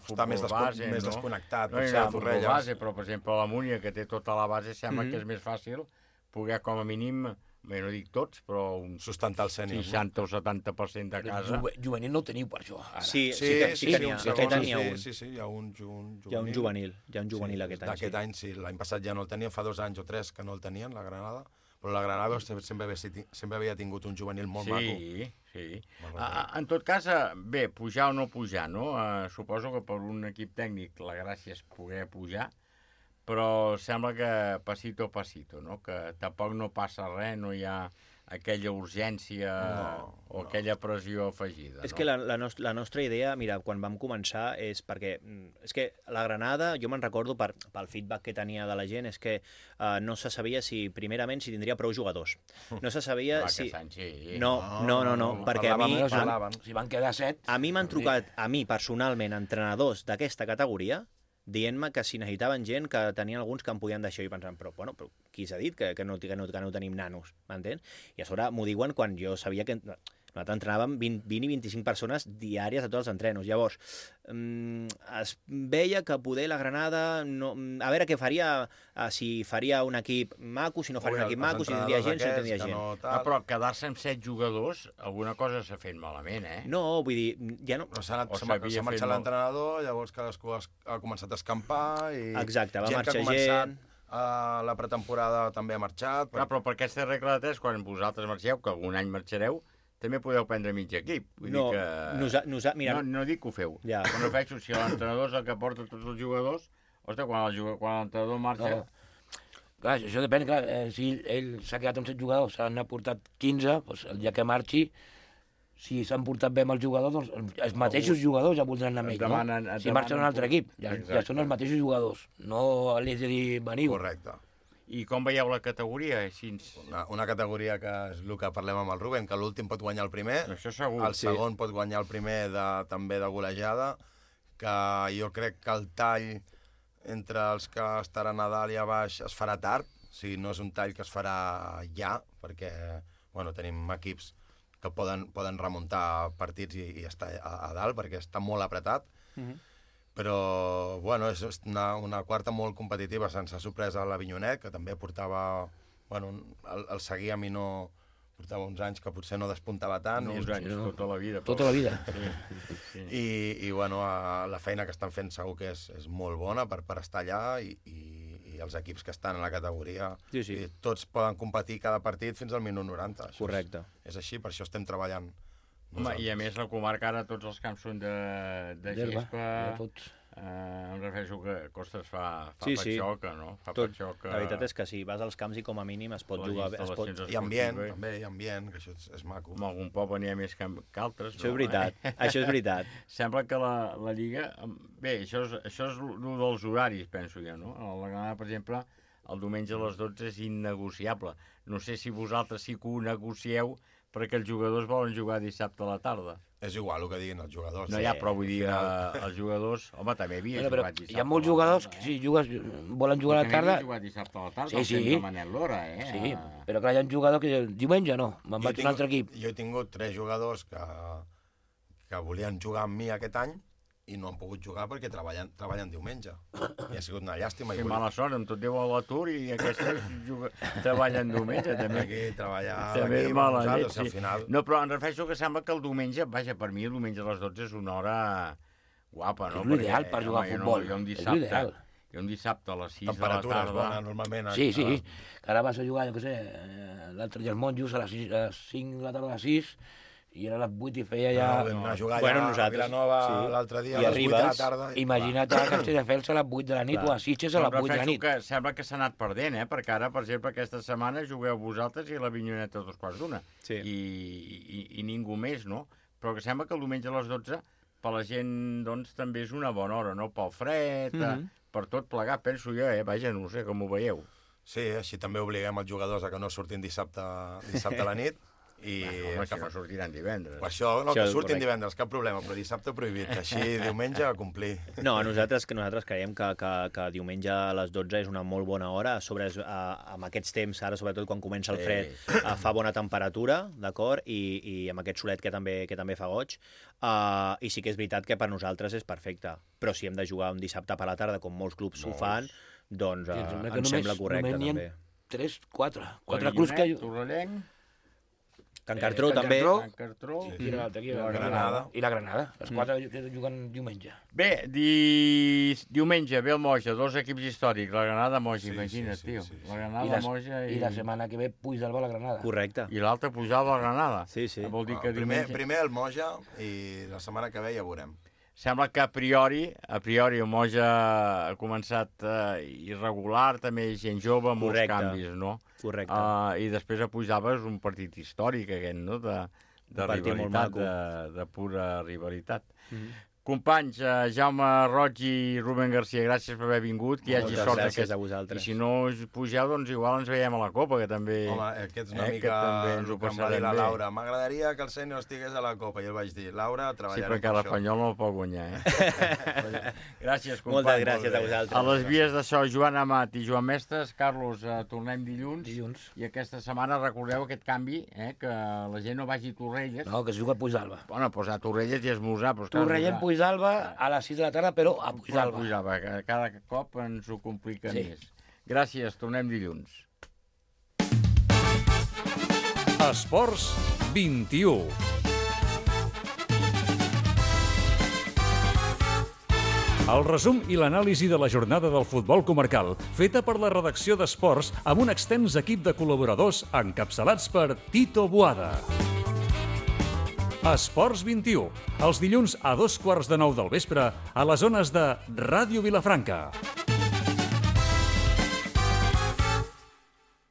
futbol base, no? Més desconnectat, no hi ha futbol base, però, per exemple, la Múnia, que té tota la base, sembla que és més fàcil poder, com a mínim... Bé, no dic tots, però un sustentar el sènior, 60 o 70% de casa. Juvenil no ho teniu per això, ara. Sí, tenia un. Sí, hi ha un juvenil. Hi ha un juvenil aquest any. D'aquest any, sí. L'any passat ja no el tenien, fa 2 anys o 3 que no el tenien, la Granada. Però la Granada sempre havia tingut un juvenil molt maco. Sí. En tot cas, bé, pujar o no pujar, no? Suposo que per un equip tècnic la gràcia és poder pujar, però sembla que pasito, no? Que tampoc no passa res, no hi ha aquella urgència o aquella pressió afegida. És que la nostra idea, mira, quan vam començar, és perquè... És que la Granada, jo me'n recordo pel feedback que tenia de la gent, és que no se sabia primerament, si tindria prou jugadors. No se sabia si... No, perquè a mi... Si van quedar 7... A mi m'han trucat, a mi personalment, entrenadors d'aquesta categoria, dient-me que si necessitaven gent, que tenien alguns que em podien deixar, i pensant, però qui s'ha dit que no tenim nanos, m'entens? I a sobre m'ho diuen quan jo sabia que nosaltres entrenàvem 20 i 25 persones diàries a tots els entrenos. Llavors, es veia que poder la Granada... A veure què faria, si faria un equip maco, si no faria un equip maco, si tindria gent, si no tindria gent. Però quedar-se amb 7 jugadors, alguna cosa s'ha fet malament, eh? No, vull dir, ja no... S'ha marxat l'entrenador, llavors cadascú ha començat a escampar i... Exacte, va marxar gent... La pretemporada també ha marxat... Però per aquesta regla de 3, quan vosaltres marxeu, que algun any marxareu, també podeu prendre mig equip. Vull dir que... Mira... No dic que ho feu. Quan ho faig, si l'entrenador és el que porta tots els jugadors, ostres, quan l'entrenador marxa... Clar, això depèn, clar, si ell s'ha quedat amb 7 jugadors, s'han aportat 15, doncs el dia que marxi, si s'han portat bé amb els jugadors, doncs els mateixos jugadors ja voldran anar amb ell, no? Si marxen a un altre equip, ja són els mateixos jugadors, no li has de dir veniu. Correcte. I com veieu la categoria? Una categoria que és el que parlem amb el Rubén, que l'últim pot guanyar el primer, això segur, el segon pot guanyar el primer també de golejada, que jo crec que el tall entre els que estaran a dalt i a baix es farà tard, o sigui, no és un tall que es farà ja, perquè tenim equips que poden remuntar partits i estar a dalt, perquè està molt apretat. Però, és una quarta molt competitiva. Se'ns ha sorprès a l'Avinyonet, que també portava... el seguir a mi no... Portava uns anys que potser no despuntava tant. No, uns anys, tota la vida. Tota la vida. I la feina que estan fent segur que és molt bona per estar allà i els equips que estan a la categoria, tots poden competir cada partit fins al minut 90. Correcte. És així, per això estem treballant. Home, i a més la comarca ara tots els camps són de gespa, Em refereixo que Costes fa Sí, patxoca, no? Fa Tot. patxoca. La veritat és que sí, vas als camps i com a mínim es pot jugar bé. I ambient, també, i ambient, que això és maco. En algun poble n'hi ha més que altres, no? Això és veritat, això és veritat. Sembla que la Lliga... Bé, això és el dels horaris, penso jo, no? A la Granada, per exemple, el diumenge a les 12 és innegociable. No sé si vosaltres sí que ho negocieu perquè els jugadors volen jugar dissabte a la tarda. És igual el que diguin els jugadors. No, ja, però vull dir, els jugadors... Home, també havia jugat dissabte. Hi ha molts jugadors que sí, volen jugar a la tarda... També havia jugat dissabte a la tarda, sí, el temps de Manel Lora, eh? Sí, però clar, hi ha un jugador que diumenge no, me'n vaig a un altre equip. Jo he tingut 3 jugadors que volien jugar amb mi aquest any i no han pogut jugar perquè treballen diumenge. I ha sigut una llàstima. Sí, mala sort, amb tot Déu a l'atur i aquests treballen diumenge, també. Aquí treballar també és mala llet, sí. Al final... No, però em refereixo que sembla que el diumenge, vaja, per mi el diumenge a les 12 és una hora guapa, no? És l'ideal per jugar a futbol, és l'ideal. Jo un dissabte a les 6 de la tarda... Temperatures bones, normalment. Sí, que ara vas a jugar, jo què sé, l'altre dia els monjos a les 5 de la tarda a les 6, i era a les 8 i feia ja... No, a jugar ja a Vilanova l'altre dia a les 8 de la tarda. Imagina't a Castelldefels a les 8 de la nit o a Sitges a les 8 de la nit. Que sembla que s'ha anat perdent, perquè ara, per exemple, aquesta setmana jugueu vosaltres i la Vinyoneta a 2:15. Sí. I ningú més, no? Però que sembla que el diumenge a les 12 per la gent, doncs, també és una bona hora, no? Pel fred, per tot plegat, penso jo, vaja, no sé com ho veieu. Sí, així també obliguem els jugadors a que no surtin dissabte a la nit. I home, si no sortiran divendres. Per això, no, que surtin divendres, cap problema, però dissabte prohibit, així diumenge a complir. No, nosaltres creiem que diumenge a les 12 és una molt bona hora, amb aquests temps, ara sobretot quan comença el fred, fa bona temperatura, d'acord, i amb aquest solet que també fa goig, i sí que és veritat que per nosaltres és perfecte, però si hem de jugar un dissabte per la tarda, com molts clubs ho fan, doncs em sembla correcte també. 3, 4 clubs que... Torrellenc, Can Cartró també. Can Cartró i la Granada. I la Granada. Els 4 que juguen diumenge. Bé, diumenge ve el Moja, 2 equips històrics, la Granada, Moja, imagina't, tio. La Granada, Moja i... I la setmana que ve Puigdàlber a la Granada. Correcte. I l'altre Puigdàlber a la Granada. Sí. Vol dir que primer el Moja i la setmana que ve ja veurem. Sembla que a priori el Moja ha començat irregular, també gent jove, molts canvis, no? Correcte. I després a Puigdàlber és un partit històric, aquest, no? De rivalitat, de pura rivalitat. Companys, Jaume Roig i Rubén Garcia, gràcies per haver vingut, que hi hagi sort gràcies a vosaltres. I si no us pugeu, doncs igual ens veiem a la Copa, que també... Home, aquest és una mica el que em va dir la Laura. M'agradaria que el Sènior estigués a la Copa. I el vaig dir, Laura, treballarem per això. Sí, perquè l'Espanyol no el pot guanyar, Gràcies, companys. Moltes gràcies a vosaltres. A les vies d'això, Joan Amat i Joan Mestres. Carlos, tornem dilluns. I aquesta setmana recordeu aquest canvi, que la gent no vagi a Torrelles. No, que es juga a Puigdàlber. Bueno, doncs a Torrelles i esmorzar. Torrelles, Puigdàlber a les 6 de la tarda, però a Puigdàlber. Cada cop ens ho complica més. Gràcies, tornem dilluns. Esports 21. El resum i l'anàlisi de la jornada del futbol comarcal, feta per la redacció d'Esports amb un extens equip de col·laboradors encapçalats per Tito Boada. Esports 21, els dilluns a 2:15 del vespre a les ones de Ràdio Vilafranca.